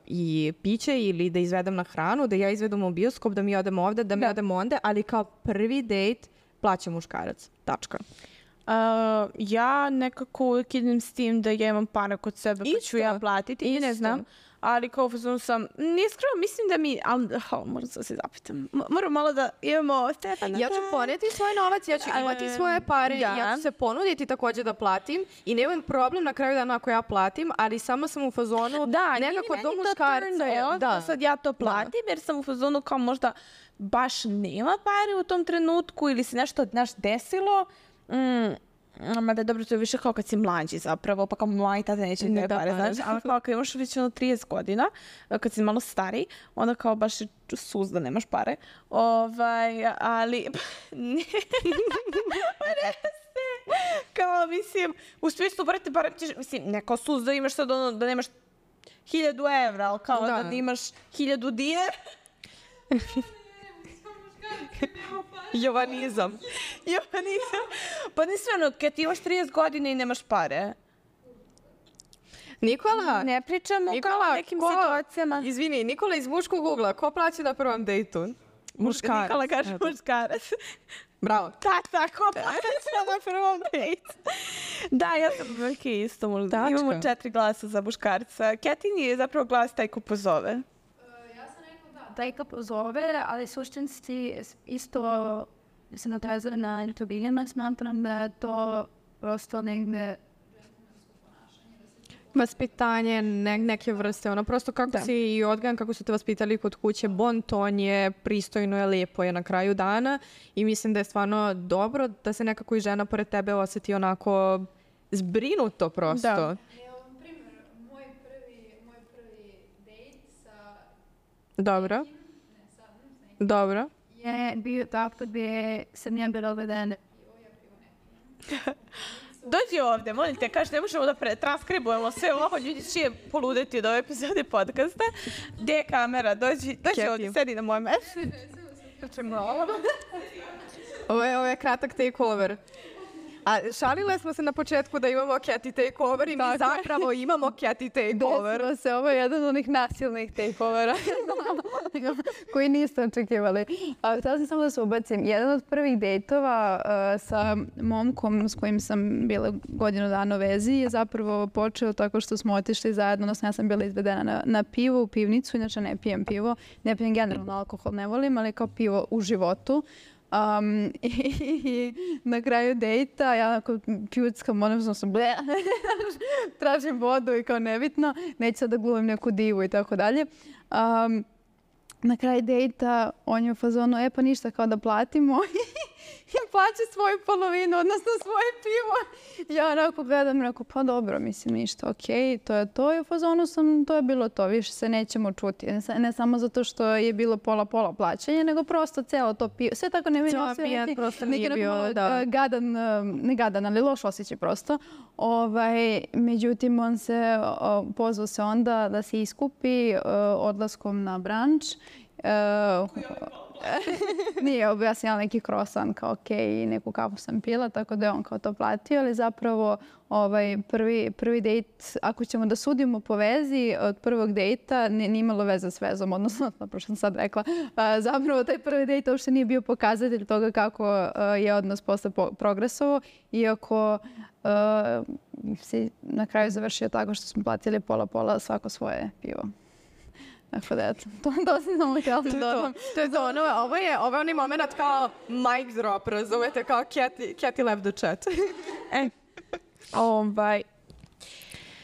i piće ili da izvedem na hranu, da ja izvedem u bioskop, da mi odemo ovde, da mi da. odemo onda, ali kao prvi dejt plaća muškarac. Tačka. Uh, ja nekako uvijek idem s tim da ja imam para kod sebe pa ću ja platiti i ne znam. Ali kao fazonu sam, niskreno mislim da mi, ali oh, moram se zapitam, moram malo da imamo Stefana. Ja ću poneti svoj novac, ja ću imati svoje pare, da. ja ću se ponuditi također da platim i nemam problem na kraju dana ako ja platim, ali samo sam u fazonu da, nekako do muškarca. Da, da, sad ja to platim da. jer sam u fazonu kao možda baš nema pare u tom trenutku ili se nešto naš desilo. Mm. Mada je dobro, to je više kao kad si mlađi zapravo, pa kao mladi tada neće ne pare, znaš, ali kao kad imaš već ono trideset godina, kad si malo stariji, onda kao baš je sus da nemaš pare, ovaj, ali, ne, kao mislim, u smislu, brate, barem ćeš, mislim, ne kao sus da imaš sad ono, da nemaš hiljadu evra, ali kao da, da imaš hiljadu dinara. Jovanizam. Jovanizam. Pa nisveno, kad ti imaš trideset godina i nemaš pare. Nikola. Ne pričamo Nikola, kao nekim ko, situacijama. Izvini, Nikola iz muškog ugla, ko plaća na prvom dejtu? Muškarac. Nikola kaže Eto. muškarac. Bravo. Tata, ko plaća na prvom dejtu? Da, ja sam veliki isto. Možda. Imamo četiri glasa za muškarca. Ketin je zapravo glas taj ko pozove. Taj ko pozove, ali suštinski isto se natazuje na intervijama, smatram da je to prosto negde vaspitanje ne, neke vrste, ono prosto kako da. si i odgajan, kako su te vaspitali kod kuće, bon ton je, pristojno je, lepo je na kraju dana i mislim da je stvarno dobro da se nekako i žena pored tebe osjeti onako zbrinuto prosto. Da. Dobro. Dobro. Je bio tako gdje sam ja bila uvedena. Dođi ovdje, molim te, kaži, ne možemo da transkribujemo sve ovo, ljudi će poludeti od ove epizode podcasta. Gdje je kamera? Dođi, dođi ovdje, sedi na moje mesto. Ovo je, ovo je kratak takeover. A šalile smo se na početku da imamo Keti takeover i mi tako. zapravo imamo Keti takeover. Desilo se, ovo je jedan od onih nasilnih takeovera koji niste očekivali. A, htjela sam samo da se ubacim. Jedan od prvih dejtova uh, sa momkom s kojim sam bila godinu dana u vezi je zapravo počeo tako što smo otišli zajedno, odnosno ja sam bila izvedena na, na pivo u pivnicu, inače ne pijem pivo, ne pijem generalno alkohol, ne volim, ali kao pivo u životu. Um, i, i na kraju dejta ja onako pjuckam, odnosno sam ble, tražim vodu i kao nebitno, neću sad da glumim neku divu i tako dalje. Um, na kraju dejta on je u fazonu, e pa ništa kao da platimo i plaća svoju polovinu, odnosno svoje pivo. Ja onako gledam, rekao, pa dobro, mislim ništa, okej, okay, to je to. I u fazonu sam, to je bilo to, više se nećemo čuti. Ne, ne samo zato što je bilo pola-pola plaćanje, nego prosto celo to pivo. Sve tako ne vidim osjećaj. Prosto nije bio, da. Gadan, ne gadan, ali loš osjećaj prosto. Ovaj, međutim, on se o, pozvao se onda da se iskupi o, odlaskom na branč. Uh, Nije, objasnila neki croissant kao ok, i neku kafu sam pila, tako da je on kao to platio, ali zapravo ovaj, prvi, prvi dejt, ako ćemo da sudimo po vezi, od prvog dejta nije imalo veze s vezom, odnosno, napravo što sam sad rekla, a, zapravo taj prvi dejt uopšte nije bio pokazatelj toga kako a, je odnos posle po, progresovao, iako a, se na kraju završio tako što smo platili pola-pola svako svoje pivo. Tako da, eto, to, to si samo htjela da dodam. To je to, ono, ovo je, ovo je onaj moment kao mic drop, razumete, kao Cathy, Cathy left the chat. E, ovaj,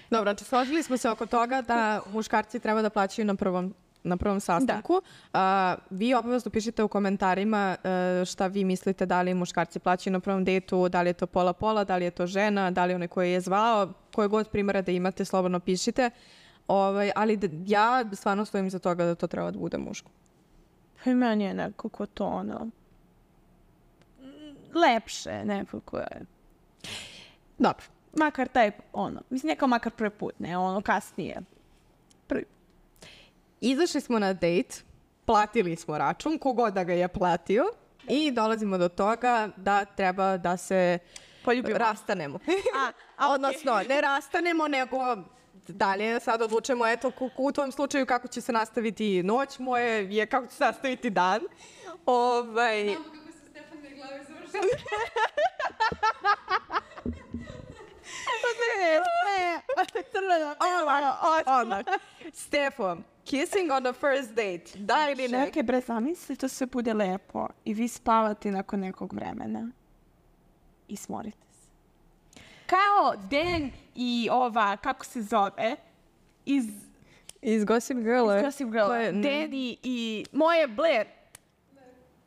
Dobro, znači složili smo se oko toga da muškarci treba da plaćaju na prvom, na prvom sastanku. Da. Uh, vi obavezno pišite u komentarima uh, šta vi mislite, da li muškarci plaćaju na prvom dejtu, da li je to pola-pola, da li je to žena, da li je onaj koji je zvao, koje god primjera da imate, slobodno pišite. Ovaj, ali da, ja stvarno stojim za toga da to treba da bude muško. pa i meni je nekako to ono, lepše nekako je. Dobro. Makar taj, ono, mislim, neka makar prvi put, ne, ono, kasnije. Prvi. Izašli smo na dejt, platili smo račun, kogod da ga je platio i dolazimo do toga da treba da se Poljubimo. rastanemo. A, a Odnosno, ne rastanemo, nego dalje sad odlučemo, eto, ku- u tom slučaju kako će se nastaviti noć, moje je kako će se nastaviti dan. Ovaj... Odmah. Stefo, kissing on the first date, da ili ne? Čekaj, bre, zamisli, to sve bude lepo i vi spavate nakon nekog vremena i smorite se. Kao Dan i ova, kako se zove, iz Iz Gossip Girl. Gossip Girl, Ko je- Dan i, i moje Blair.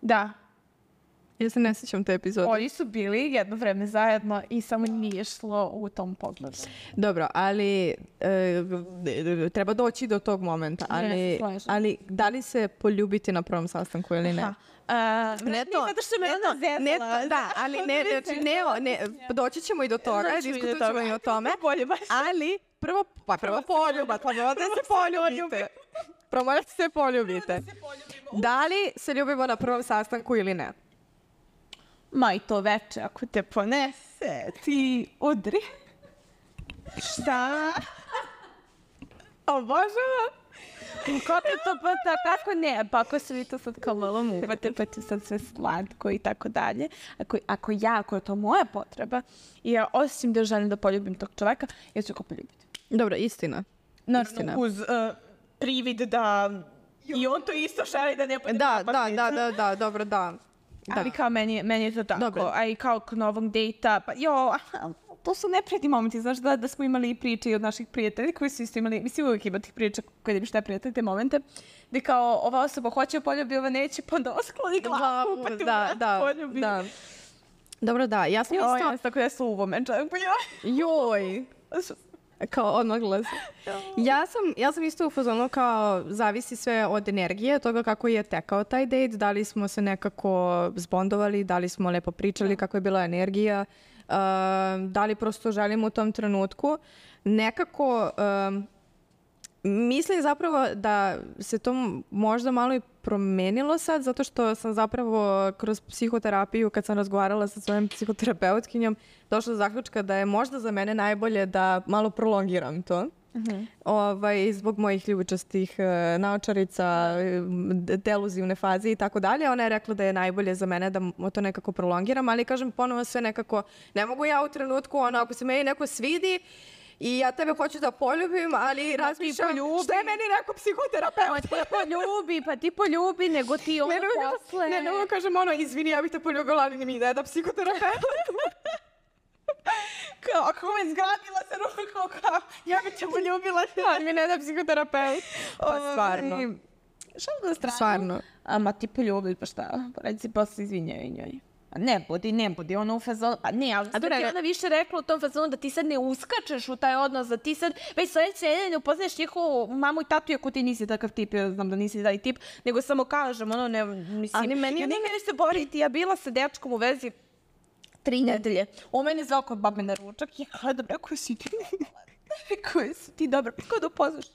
Da, Ja se ne sjećam te epizode. oni su bili jedno vreme zajedno i samo nije šlo u tom pogledu. Dobro, ali e, treba doći do tog momenta. Ali, slažem. ali da li se poljubiti na prvom sastanku ili ne? Ha. A, Ne to, zato što me ne ona to, zezala. ne to, da, ali ne, znači, ne, ne, doći ćemo i do toga, Doći ćemo i do diskutovat ćemo toga. i o tome, Bolje baš. ali prvo, pa prvo poljubac, pa prvo da se poljubite. Prvo morate se poljubite. Da li se ljubimo na prvom sastanku ili ne? Ma i to veče, ako te ponese, ti udri. Šta? Obožavam. Kako to pa ta, kako ne? Pa ako se vi to sad kao malo muvate, pa ti sad sve slatko i tako dalje. Ako, ako ja, ako je to moja potreba, i ja osim da želim da poljubim tog čoveka, ja ću ga poljubiti. Dobro, istina. Naravno, Istina. uz uh, privid da i on to isto želi da ne bude Da, da, napasnica. da, da, da, dobro, da. Da. Ali kao meni, meni je to tako. Dobro. A i kao kod novog dejta, pa jo, aha, to su neprijatni momenti. Znaš da, da smo imali i priče i od naših prijatelja koji su isto imali, mislim uvijek ima tih priča koje imaš te prijatelje, te momente, gdje kao ova osoba hoće poljubi, ova neće, pa onda oskloni glavu, pa ti da, da, poljubi. da. Dobro, da, ja sam Jo, isto... ja sam tako da su uvo menčak, pa joj. Joj! Kao odmah glas. Ja sam, ja sam isto u fazonu kao zavisi sve od energije, od toga kako je tekao taj date, da li smo se nekako zbondovali, da li smo lepo pričali, kako je bila energija, uh, da li prosto želimo u tom trenutku. Nekako um, mislim zapravo da se to možda malo i promenilo sad, zato što sam zapravo kroz psihoterapiju, kad sam razgovarala sa svojom psihoterapeutkinjom, došla do zaključka da je možda za mene najbolje da malo prolongiram to. Uh-huh. Ovaj, zbog mojih ljubičastih e, naočarica, e, deluzivne faze i tako dalje. Ona je rekla da je najbolje za mene da mo- to nekako prolongiram, ali kažem ponovo sve nekako, ne mogu ja u trenutku, ono, ako se meni neko svidi, i ja tebe hoću da poljubim, ali razmišljam poljubi. što je meni neko psihoterapeut. Pa ti poljubi, pa ti poljubi, nego ti ovo Ne, ne, ne, posle. ne, ne mogu kažem ono, izvini, ja bih te poljubila, ali mi ne da psihoterapeut. Kao, ako me zgadila se ruku, kao, ja bi te poljubila, ali mi ne da psihoterapeut. Pa stvarno. Šal na stranu. Stvarno. A ma ti poljubi, pa šta? Pa reci posle izvinjaju njoj. A ne budi, ne budi, ono u fazonu, pa ne, ali sad dobro, ti ne- ona više rekla u tom fazonu da ti sad ne uskačeš u taj odnos, da ti sad već sledeće nedelje upoznaš njihovu mamu i tatu, ako ti nisi takav tip, ja znam da nisi taj tip, nego samo kažem, ono, ne, mislim, Ali meni je ja ne meni se boriti, ja bila sa dečkom u vezi tri nedelje. On mene zvao kod babe na ručak i ja gledam, rekao si ti, rekao si ti dobro, kako da upoznaš?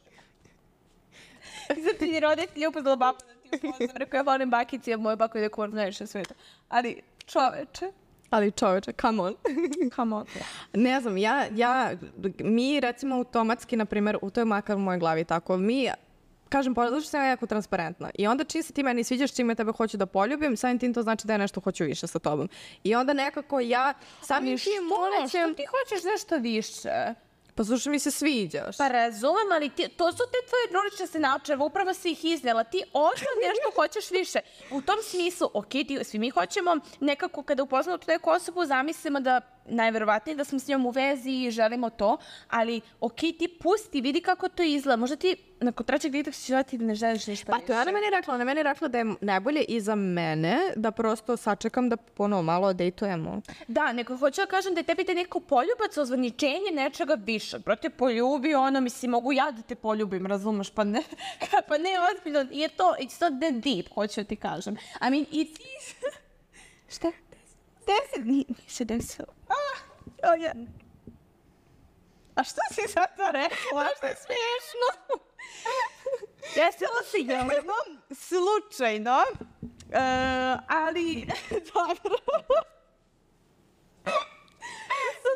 I sad ti roditelji upoznala baba da ti Rekao, ja volim bakici, a moja baka ide kod najviše sveta. Ali čoveče. Ali čoveče, come on. Come on. Ne znam, ja, ja, mi recimo automatski, na primjer, u to je makar u mojoj glavi tako, mi, kažem, zato što sam ja jako transparentna. I onda čim se ti meni sviđaš, čime tebe hoću da poljubim, samim tim to znači da ja nešto hoću više sa tobom. I onda nekako ja, samim tim molećem... Što ti hoćeš nešto više? Pa slušaj, mi se sviđaš. Pa razumem, ali ti, to su te tvoje drulične načeve, upravo si ih iznela. Ti ošto nešto hoćeš više. U tom smislu, ok, ti, svi mi hoćemo nekako kada upoznamo tu neku osobu, zamislimo da najverovatnije da smo s njom u vezi i želimo to, ali ok, ti pusti, vidi kako to izgleda. Možda ti nakon trećeg dita ćeš dati da ne želiš ništa Pa to je ona meni rekla, ona meni rekla da je najbolje i za mene da prosto sačekam da ponovo malo dejtujemo. Da, neko hoću da kažem da je tebi te neko poljubac, ozvaničenje nečega više. Brate, poljubi ono, mislim, mogu ja da te poljubim, razumeš, pa ne, pa ne ozbiljno, je to, it's not that deep, hoću da ti kažem. I mean, it is... Šta? Deset? Nije se desilo. Ah, oh, ja. A što si sad to rekla? Što je smiješno? Desilo se jednom, slučajno, uh, ali dobro.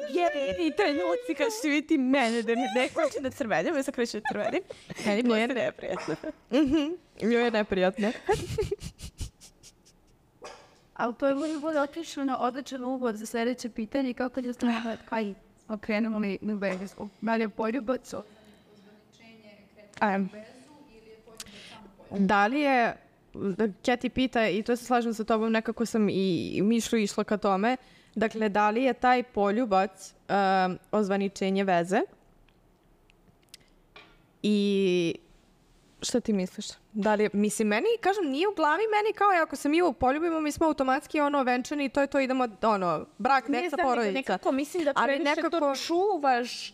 Jedini trenuci kad ćete vidjeti mene da mi neko će da crvenim, ja sam kreću da crvenim. Meni bilo je neprijatno. Bilo je neprijatno. Ali to je bilo bude otišlo na odličan uvod za sljedeće pitanje kako će ste kaj okrenuli na vezu. Da li je poljubac? Um, da li je, Keti pita, i to se slažem sa tobom, nekako sam i mišlju išla ka tome, dakle, da li je taj poljubac um, ozvaničenje veze? I šta ti misliš? Da li, mislim, meni, kažem, nije u glavi meni kao ako se mi poljubimo, mi smo automatski ono venčani i to je to, idemo, ono, brak, deca, porodica. Nekako mislim da previše nekako... to čuvaš.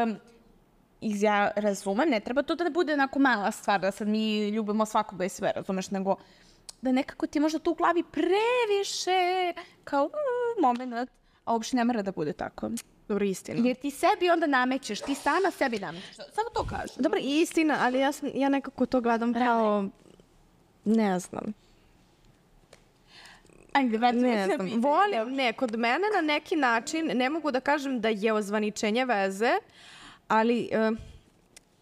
Um, ja razumem, ne treba to da bude onako mala stvar, da sad mi ljubimo svakoga i sve, razumeš, nego da nekako ti možda tu u glavi previše kao mm, moment, a uopšte ne mora da bude tako. Dobro, istina. Jer ti sebi onda namećeš, ti sama sebi namećeš. Samo to kažem. Dobro, istina, ali ja, sam, ja nekako to gledam kao, ne znam. Ajde, ne znam. Volim, ne, kod mene na neki način, ne mogu da kažem da je ozvaničenje veze, ali uh,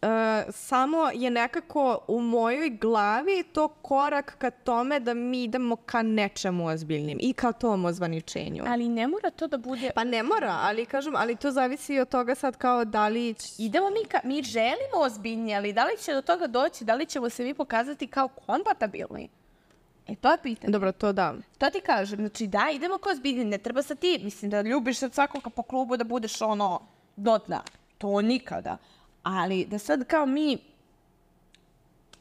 uh, samo je nekako u mojoj glavi to korak ka tome da mi idemo ka nečemu ozbiljnim i ka tom ozvaničenju. Ali ne mora to da bude... Pa ne mora, ali kažem, ali to zavisi od toga sad kao da li... Idemo mi, ka... mi želimo ozbiljnije, ali da li će do toga doći, da li ćemo se mi pokazati kao kompatibilni? E, to je pitanje. Dobro, to da. To ti kažem, znači da, idemo kao ozbiljni, ne treba sa ti, mislim da ljubiš sad svakoga po klubu da budeš ono, do dna. To nikada. Ali da sad kao mi,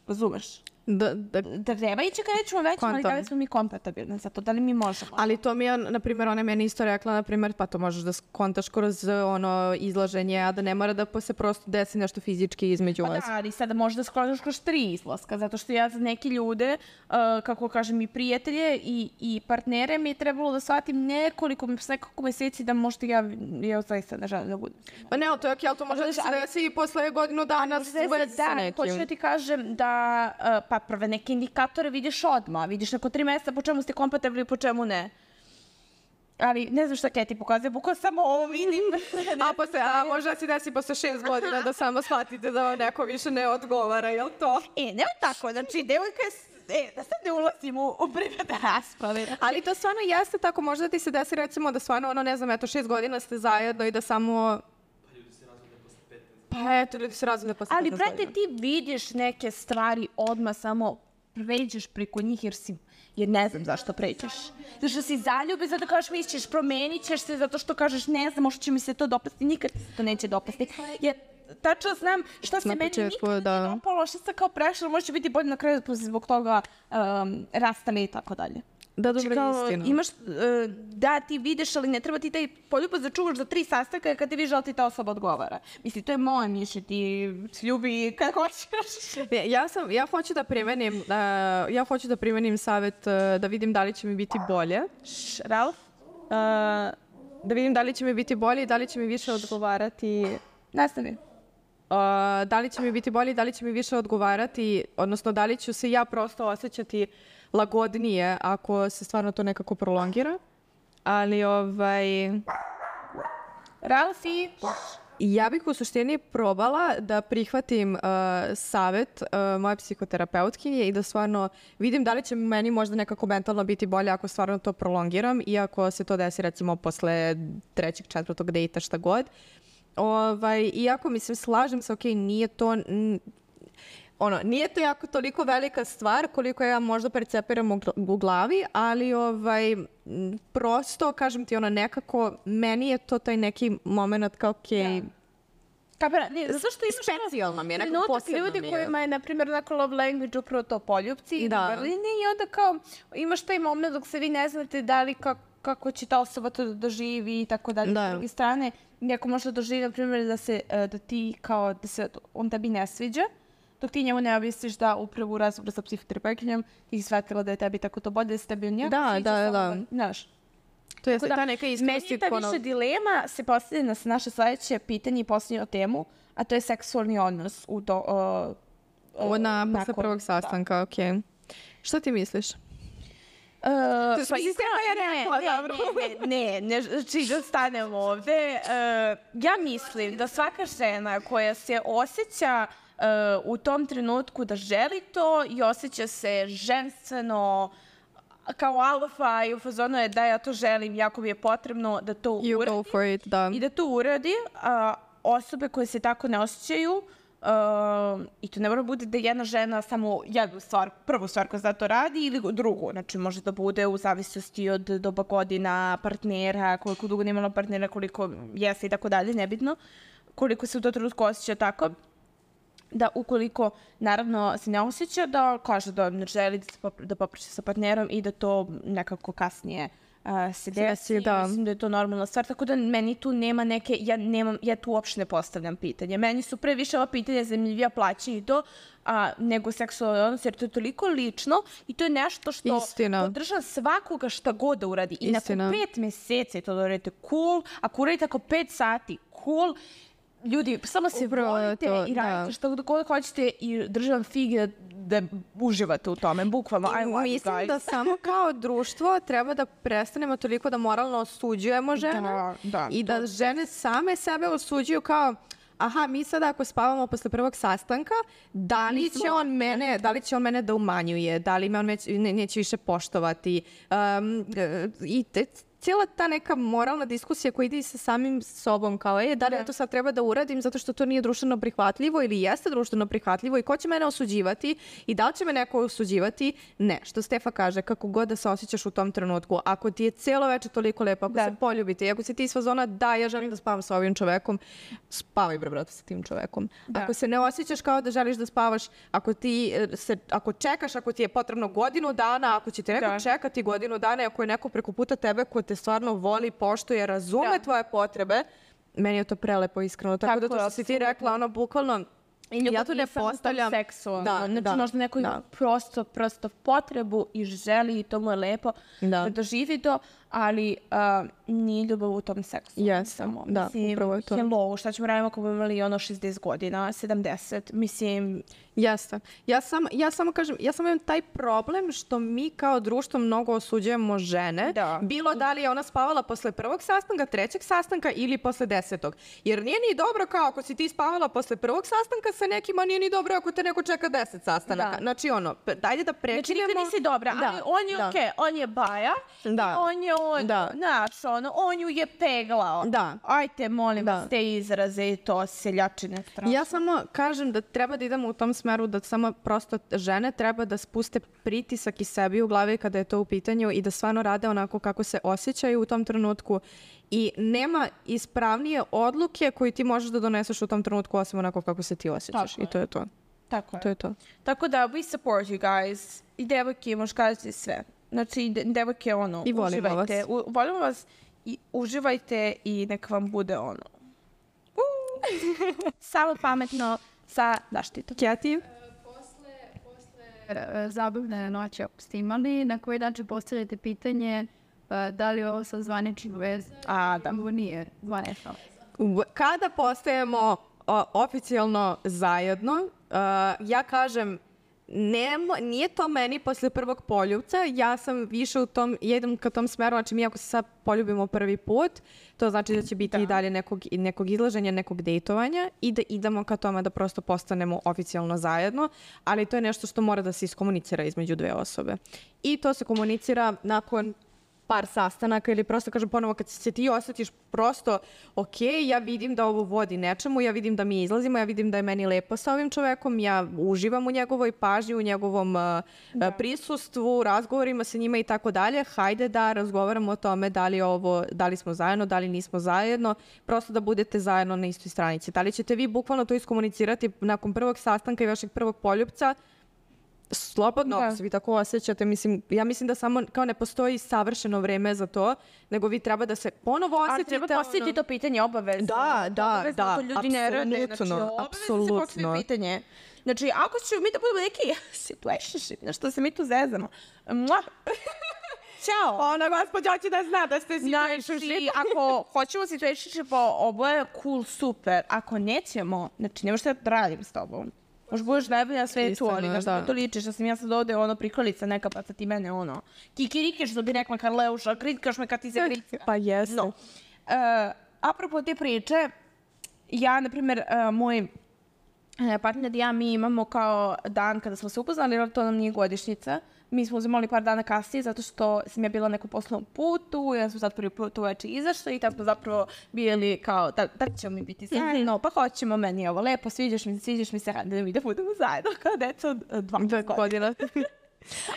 razumeš, da, da, da treba ići kad nećemo većemo, ali da li smo mi kompatibilni za to, da li mi možemo. Ali to mi je, na primjer, ona meni isto rekla, na primjer, pa to možeš da skontaš kroz ono izlaženje, a da ne mora da se prosto desi nešto fizički između pa vas. Da, ali sada možeš da skontaš kroz tri izlaska, zato što ja za neki ljude, uh, kako kažem, i prijatelje i, i partnere mi je trebalo da shvatim nekoliko, nekoliko meseci da možda ja, ja zaista ne želim da budem. Pa ne, to je ok, ali to može da se desi i posle godinu dana s nekim. Hoću da ti kažem da, uh, pa prve neke indikatore vidiš odmah, vidiš nakon tri mjeseca po čemu ste kompatibilni, po čemu ne. Ali ne znam šta Keti ti pokazuje, bukvalno samo ovo vidim. a, posle, a možda si desi posle šest godina da samo shvatite da vam neko više ne odgovara, jel to? E, nema tako, znači devojka je, e, da sad ne ulazim u, u privatne rasprave. Ali to stvarno jeste tako, možda ti se desi recimo da stvarno, ono, ne znam, eto, šest godina ste zajedno i da samo... Pa eto, ljudi se razvode posle ali, brate, ti vidiš neke stvari odmah, samo pređeš preko njih jer si, jer ne znam zašto pređeš. Zato što si zaljubi, zato kažeš misliš, promenit ćeš se, zato što kažeš ne znam, možda će mi se to dopasti, nikad se to neće dopasti. Jer tačno znam šta se meni nikad da. ne dopalo, šta se kao prešlo, možda će biti bolje na kraju zbog toga um, rastali i tako dalje. Da, dobro, kao, istina. Imaš, uh, da, ti vidiš, ali ne treba ti taj poljubac da čuvaš za tri sastanka kad ti vidiš da ti ta osoba odgovara. Mislim, to je moje mišljenje, ti ljubi kad hoćeš. Ja, sam, ja hoću da primenim, uh, ja hoću da primenim savjet uh, da vidim da li će mi biti bolje. Š, Ralf? Uh, da vidim da li će mi biti bolje i da li će mi više odgovarati. Nastavi. Uh, da li će mi biti bolje, da li će mi više odgovarati, odnosno da li ću se ja prosto osjećati lagodnije ako se stvarno to nekako prolongira. Ali ovaj... Ralfi? Ja bih u suštini probala da prihvatim uh, savjet uh, moje psihoterapeutkinje i da stvarno vidim da li će meni možda nekako mentalno biti bolje ako stvarno to prolongiram i ako se to desi recimo posle trećeg, četvrtog dejta, šta god. Ovaj, iako, mislim, slažem se, ok, nije to... N, ono, nije to jako toliko velika stvar koliko ja možda percepiram u, u glavi, ali ovaj, prosto, kažem ti, ono, nekako, meni je to taj neki moment kao, ok, yeah. Kapira, ne, zato što imaš specijalno mi je, nekako posebno ljudi mi je. kojima je, na primjer, onako love language upravo to poljupci i da. Berline i onda kao imaš taj moment dok se vi ne znate da li kako, kako će ta osoba to da doživi i tako dalje. Da. S druge strane, neko može doživi, na primjer, da se, da ti kao, da se on tebi ne sviđa, dok ti njemu ne objasniš da upravo u razgovoru sa psihoterapeutkinjom ti shvatila da je tebi tako to bolje, da se tebi on jako da, sviđa. Da, da, znaš. To je ta neka iskrenost. Meni ta više ono... dilema se postavlja na naše sledeće pitanje i posljednju temu, a to je seksualni odnos u to... Uh, Ovo na posle prvog sastanka, ok. Šta ti misliš? Uh, pa iskreno, ne, ne, ne, ne, ne, znači da stanem ovde. Uh, ja mislim da svaka žena koja se osjeća uh, u tom trenutku da želi to i osjeća se ženstveno, kao alfa i u fazonu je da ja to želim, jako mi je potrebno da to you uradi. Go for it, da. I da to uradi. A osobe koje se tako ne osjećaju, uh, i to ne mora bude da jedna žena samo jednu stvar, prvu stvar koja za to radi ili drugu. Znači može da bude u zavisnosti od doba godina, partnera, koliko dugo nemala partnera, koliko jeste i tako dalje, nebitno. Koliko se u to trenutku osjeća tako. Da ukoliko, naravno, se ne osjeća, da kaže da ne želi da, pop, da popriče sa partnerom i da to nekako kasnije uh, se desi. Da. Mislim da je to normalna stvar, tako da meni tu nema neke, ja, nemam, ja tu uopšte ne postavljam pitanje. Meni su pre više ova pitanja zanimljivija plaćanje i to, a, nego seksualni odnos, jer to je toliko lično i to je nešto što Istina. podrža svakoga šta god da uradi. I Istina. nakon pet meseci to da uradite cool, ako uradite ako pet sati cool, ljudi, samo se Upravo volite to, i radite što god hoćete i državam fige da, da uživate u tome, bukvalno. I I mislim guys. Da samo kao društvo treba da prestanemo toliko da moralno osuđujemo žene da, da, i da to. žene same sebe osuđuju kao aha, mi sada ako spavamo posle prvog sastanka, da li će on mene, da li će on mene da umanjuje, da li me on neće, ne, neće više poštovati. Um, I te, cijela ta neka moralna diskusija koja ide sa samim sobom, kao je, da li ja to sad treba da uradim zato što to nije društveno prihvatljivo ili jeste društveno prihvatljivo i ko će mene osuđivati i da li će me neko osuđivati? Ne, što Stefa kaže, kako god da se osjećaš u tom trenutku, ako ti je cijelo večer toliko lepo, ako da. se poljubite i ako si ti iz fazona, da, ja želim da spavam sa ovim čovekom, spavaj bre brate sa tim čovekom. Da. Ako se ne osjećaš kao da želiš da spavaš, ako ti se, ako čekaš, ako ti je potrebno godinu dana, ako će te neko da. čekati godinu dana i ako je neko preko puta tebe ko te stvarno voli, poštuje, razume da. tvoje potrebe, meni je to prelepo iskreno. Tako, Tako da to što si ti rekla, ono, bukvalno, I ja to ne postavljam seksualno. Da, znači, da, možda neko ima prosto, prosto potrebu i želi i to mu je lepo da, da doživi to, ali uh, nije ljubav u tom seksu. Yes, samo. Da, mislim, upravo je to. Hello, šta ćemo raditi ako bi imali ono šezdeset godina, sedamdeset, mislim... Jeste. Ja, sam, ja samo kažem, ja samo imam taj problem što mi kao društvo mnogo osuđujemo žene. Da. Bilo da li je ona spavala posle prvog sastanka, trećeg sastanka ili posle desetog. Jer nije ni dobro kao ako si ti spavala posle prvog sastanka sa nekima, nije ni dobro ako te neko čeka deset sastanaka. Da. Znači ono, dajde da prekinemo. Znači nikad nisi dobra, da. ali on je da. okej, okay, on je baja, da. on je on, da. znaš, ono, on ju je peglao. Da. Ajte, molim vas, da. te izraze i to seljačine strašno. Ja samo kažem da treba da idemo u tom smeru da samo prosto žene treba da spuste pritisak i sebi u glavi kada je to u pitanju i da stvarno rade onako kako se osjećaju u tom trenutku i nema ispravnije odluke koju ti možeš da doneseš u tom trenutku osim onako kako se ti osjećaš. Tako I to je to. Tako to je to. Tako da we support you guys. I devojke, muškarci, sve. Znači, devojke, ono, I volimo uživajte. vas. U, volimo vas i uživajte i nek vam bude ono. Samo pametno sa zaštitom. Kjeti? Posle, posle zabavne noći ako ste imali, na koji način postavljate pitanje da li je ovo sa zvaničnim vezom? A, da. Ovo nije zvanično veza. Kada postajemo o, oficijalno zajedno. Uh, ja kažem, Nemo, nije to meni posle prvog poljubca, ja sam više u tom, jedem ka tom smeru, znači mi ako se sad poljubimo prvi put, to znači da će biti da. i dalje nekog, nekog izlaženja, nekog dejtovanja i da idemo ka tome da prosto postanemo oficijalno zajedno, ali to je nešto što mora da se iskomunicira između dve osobe. I to se komunicira nakon par sastanaka ili prosto kažem ponovo kad se ti osjetiš prosto ok, ja vidim da ovo vodi nečemu, ja vidim da mi izlazimo, ja vidim da je meni lepo sa ovim čovekom, ja uživam u njegovoj pažnji, u njegovom uh, da. prisustvu, razgovorima sa njima i tako dalje, hajde da razgovaramo o tome da li, ovo, da li smo zajedno, da li nismo zajedno, prosto da budete zajedno na istoj stranici. Da li ćete vi bukvalno to iskomunicirati nakon prvog sastanka i vašeg prvog poljupca? Slobodno, ako se vi tako osjećate, mislim, ja mislim da samo kao ne postoji savršeno vreme za to, nego vi treba da se ponovo osjetite. Ali treba postaviti ono... to pitanje obavezno. Da, da, obavezno, da, to ljudi ne rade. Znači, apsolutno. Se pitanje. Znači, ako ćemo mi da budemo neki situationship, na što se mi tu zezamo. Ćao. Ona gospođa hoće da zna da ste situationship. Znači, ako hoćemo situationship, ovo je cool, super. Ako nećemo, znači, nemo što da radim s tobom. Možda budeš najbolja na svetu, ali na što to ličiš, da sam ja sad ovde ono prikolica neka pa sad ti mene ono kikirikiš, što bi rekla Karleuša, kritikaš me kad ti se kritika. Pa jesu. No. Uh, apropo te priče, ja, na primjer, uh, moj uh, partner i ja, mi imamo kao dan kada smo se upoznali, ali to nam nije godišnjica. Mi smo uzimali par dana kasnije zato što sam ja bila na nekom poslovnom putu, ja sam sad prvi put uveče izašla i tako smo zapravo bili kao, da, da ćemo mi biti zajedno, pa hoćemo, meni je ovo lepo, sviđaš mi se, sviđaš mi se, da mi da budemo zajedno kao deca od dvanaest godina.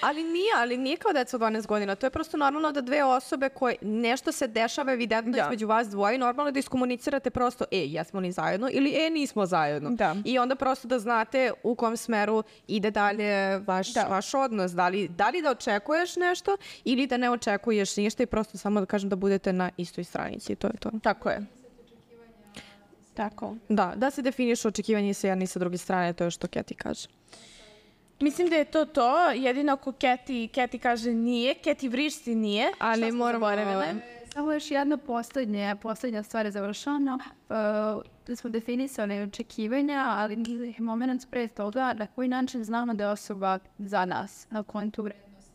Ali nije, ali nije kao deca od dvanaest godina, to je prosto normalno da dve osobe koje nešto se dešava evidentno da. između vas dvoje, normalno da iskomunicirate prosto, e, jesmo li zajedno ili e, nismo zajedno. Da. I onda prosto da znate u kom smeru ide dalje vaš, da. vaš odnos, da li, da li da očekuješ nešto ili da ne očekuješ ništa i prosto samo da kažem da budete na istoj stranici, to je to. Tako je. Tako. Da, da se definišu očekivanje sa jedne i sa druge strane, to je što Keti kaže. Mislim da je to to, jedino ako Keti, Keti kaže nije, Keti vrišti nije, ali moramo... Samo još jedna poslednja, poslednja stvar je završana. Uh, da smo definisali očekivanja, ali moment pre toga na koji način znamo da je osoba za nas, na kontu vrednosti.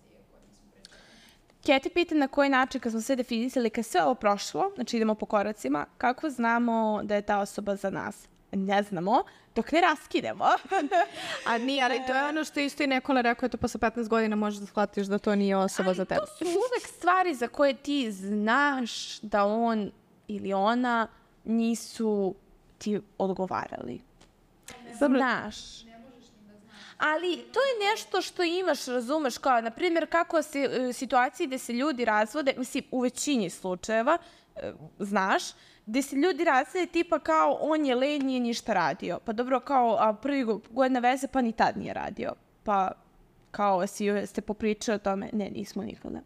Keti pita na koji način kad smo sve definisali, kad sve ovo prošlo, znači idemo po koracima, kako znamo da je ta osoba za nas? Ne znamo, dok ne raskinemo. A nije, ali to je ono što isto i Nikola rekao, to posle petnaest godina možeš da shvatiš da to nije osoba ali za tebe. To su uvek stvari za koje ti znaš da on ili ona nisu ti odgovarali. Znaš. Ali to je nešto što imaš, razumeš, kao, na primjer, kako se u situaciji gde se ljudi razvode, mislim, u većini slučajeva, znaš, gde se ljudi razvode tipa kao on je lenj, nije ništa radio. Pa dobro, kao a prvi godina veze, pa ni tad nije radio. Pa kao si, ste popričali o tome, ne, nismo nikada.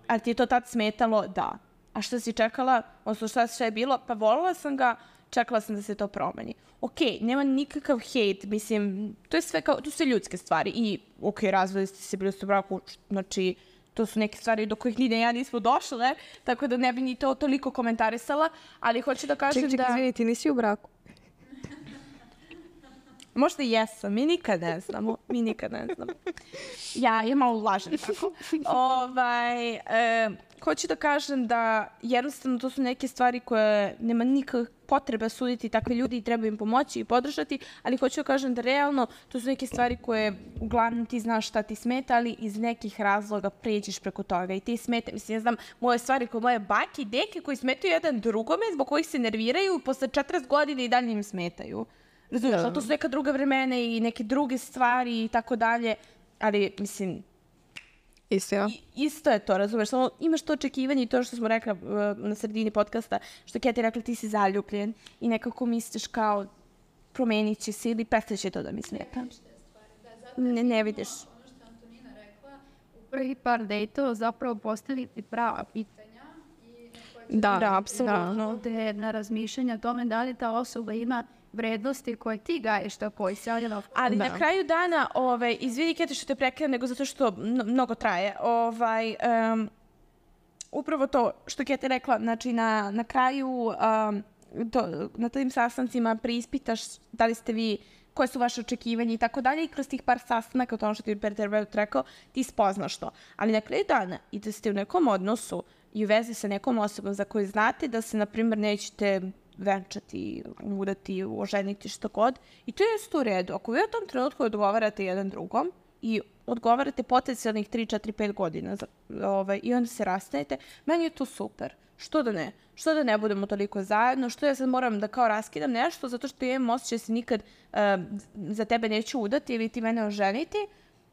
Ali ti je to tad smetalo? Da. A što si čekala, odnosno šta, šta je bilo? Pa volila sam ga, čekala sam da se to promeni. Okej, nema nikakav hejt, mislim, to je sve kao, to su sve ljudske stvari. I, okej, razveli ste se, bili ste u braku, znači, to su neke stvari do kojih ni ne ja nismo došle, tako da ne bi ni to toliko komentarisala, ali hoću da kažem ček, ček, da... Ček, izvini, ti nisi u braku? Možda i jesam, mi nikad ne znamo, mi nikad ne znamo. Ja, ja malo lažem tako. ovaj, e, hoću da kažem da jednostavno to su neke stvari koje nema nikakve potrebe suditi takve ljudi i treba im pomoći i podržati, ali hoću da kažem da realno to su neke stvari koje uglavnom ti znaš šta ti smeta, ali iz nekih razloga pređeš preko toga i ti smeta. Mislim, ja znam moje stvari koje moje bake i deke koji smetaju jedan drugome, zbog kojih se nerviraju, posle četrdeset godina i dalje im smetaju. Razumiješ, ali to su neka druga vremena i neke druge stvari i tako dalje, ali mislim... Isto, ja. Isto je to, razumiješ, samo imaš to očekivanje i to što smo rekla uh, na sredini podcasta, što Keti rekla ti si zaljubljen i nekako misliš kao promenit će se ili prestaće to da mi smeta. Ne, ne vidiš. Ono što Antonina rekla, u prvi par dejtova zapravo postaviti prava pitanja. Da, da, apsolutno. Da, na razmišljanja o tome da li ta osoba ima vrednosti koje ti gaješ tako i sjavljeno. Ali da. Na kraju dana, ovaj, izvini Keti što te prekidam, nego zato što mnogo traje, ovaj, um, upravo to što Keti rekla, znači na, na kraju um, to, na tim sastancima preispitaš da li ste vi, koje su vaše očekivanje i tako dalje i kroz tih par sastanaka, to ono što ti je terapeut rekao, ti spoznaš to. Ali na kraju dana i da ste u nekom odnosu i u vezi sa nekom osobom za koju znate da se, na primjer, nećete venčati, udati, oženiti, što god. I to je isto u redu. Ako vi u tom trenutku odgovarate jedan drugom i odgovarate potencijalnih tri, četiri, pet godina za, ovaj, i onda se rastanete, meni je to super. Što da ne? Što da ne budemo toliko zajedno? Što ja sad moram da kao raskidam nešto zato što imam osjećaj se nikad uh, za tebe neću udati ili ti mene oženiti?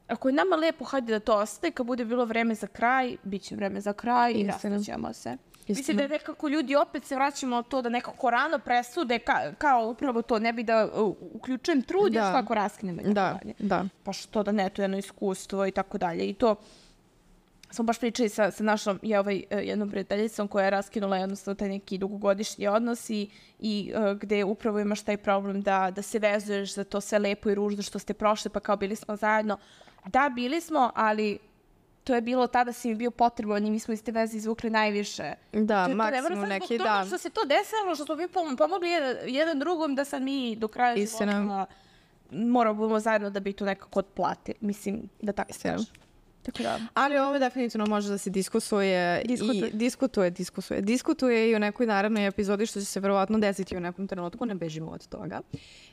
Ako je nama lepo, hajde da to ostane, kad bude bilo vreme za kraj, bit će vreme za kraj i rastaćemo se. Mislim da je nekako ljudi opet se vraćamo na to da nekako rano presude ka, kao upravo to, ne bi da uh, uključujem trud još kako raskinemo. Da, da. Pa što da ne, to je jedno iskustvo i tako dalje. I to smo baš pričali sa, sa našom je ovaj, jednom prijateljicom koja je raskinula jednostavno taj neki dugogodišnji odnos i, i uh, gde upravo imaš taj problem da, da se vezuješ za to sve lepo i ružno što ste prošli, pa kao bili smo zajedno. Da, bili smo, ali to je bilo tada si mi bio potreban i mi smo iz te veze izvukli najviše. Da, maksimum neki dan. Što se to desilo, što smo mi pomogli jedan, jedan drugom da sad mi do kraja života moramo budemo zajedno da bi to nekako otplati. Mislim da tako se Da. Ali ovo definitivno može da se diskusuje diskutuje. i diskutuje, diskutuje. Diskutuje i u nekoj narednoj epizodi što će se verovatno desiti u nekom trenutku, ne bežimo od toga.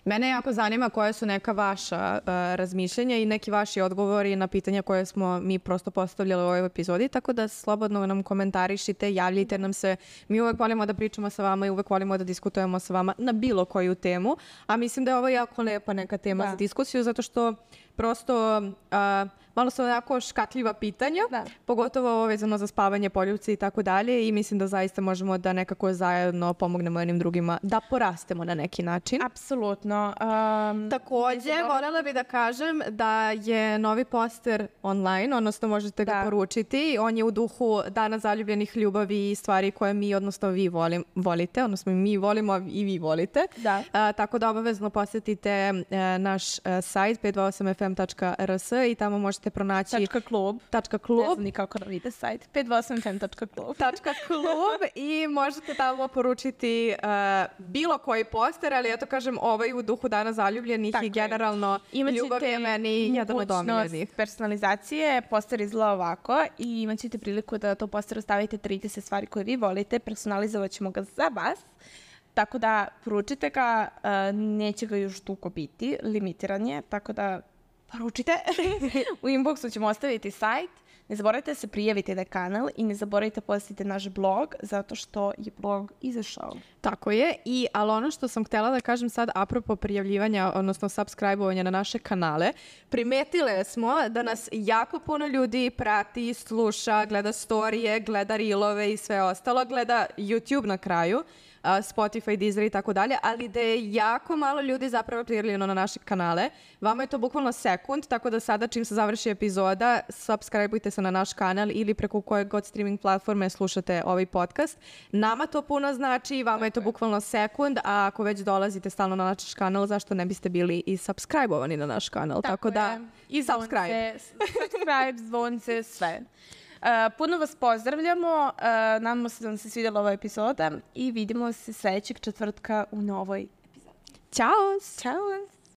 Mene jako zanima koja su neka vaša uh, razmišljenja i neki vaši odgovori na pitanja koje smo mi prosto postavljali u ovoj epizodi, tako da slobodno nam komentarišite, javljajte nam se. Mi uvek volimo da pričamo sa vama i uvek volimo da diskutujemo sa vama na bilo koju temu, a mislim da je ovo jako lepa neka tema da. za diskusiju, zato što prosto uh, malo su onako škatljiva pitanja, da. pogotovo ovo vezano za spavanje, poljupce i tako dalje i mislim da zaista možemo da nekako zajedno pomognemo jednim drugima da porastemo na neki način. Apsolutno. Um, Takođe, voljela bih da kažem da je novi poster online, odnosno možete ga da. poručiti. On je u duhu Dana zaljubljenih ljubavi i stvari koje mi, odnosno vi volim, volite, odnosno mi volimo i vi volite. Da. Uh, tako da obavezno posjetite uh, naš uh, sajt pet dva osam f m tačka r s i tamo možete pronaći Tačka klub. Tačka klub. Ne znam ni kako da vidite sajt. pet dva osam f m tačka klub. Tačka klub i možete tamo poručiti uh, bilo koji poster, ali ja to kažem ovaj u duhu Dana zaljubljenih tako i generalno ljubav je meni jedan od omiljenih. Personalizacije, poster izgleda ovako i imat ćete priliku da to poster ostavite trideset stvari koje vi volite, personalizovat ćemo ga za vas. Tako da poručite ga, uh, neće ga još dugo biti, limitiran je, tako da poručite. U inboxu ćemo ostaviti sajt. Ne zaboravite da se prijavite na kanal i ne zaboravite posjetite naš blog, zato što je blog izašao. Tako je, i ali ono što sam htjela da kažem sad apropo prijavljivanja, odnosno subscribe-ovanja na naše kanale, primetile smo da nas jako puno ljudi prati, sluša, gleda storije, gleda reelove i sve ostalo, gleda YouTube na kraju, Spotify, Deezer i tako dalje, ali da je jako malo ljudi zapravo prijavljeno na naše kanale. Vama je to bukvalno sekund, tako da sada čim se završi epizoda, subscribe-ujte se na naš kanal ili preko kojeg god streaming platforme slušate ovaj podcast. Nama to puno znači, vama je to bukvalno sekund, a ako već dolazite stalno na naš kanal, zašto ne biste bili i subscribe-ovani na naš kanal? Tako, tako da, i subscribe. Subscribe, zvonce, sve. Uh, puno vas pozdravljamo, uh, nadamo se da vam se svidjela ova epizoda i vidimo se sljedećeg četvrtka u novoj epizodi. Ćao! Ćao!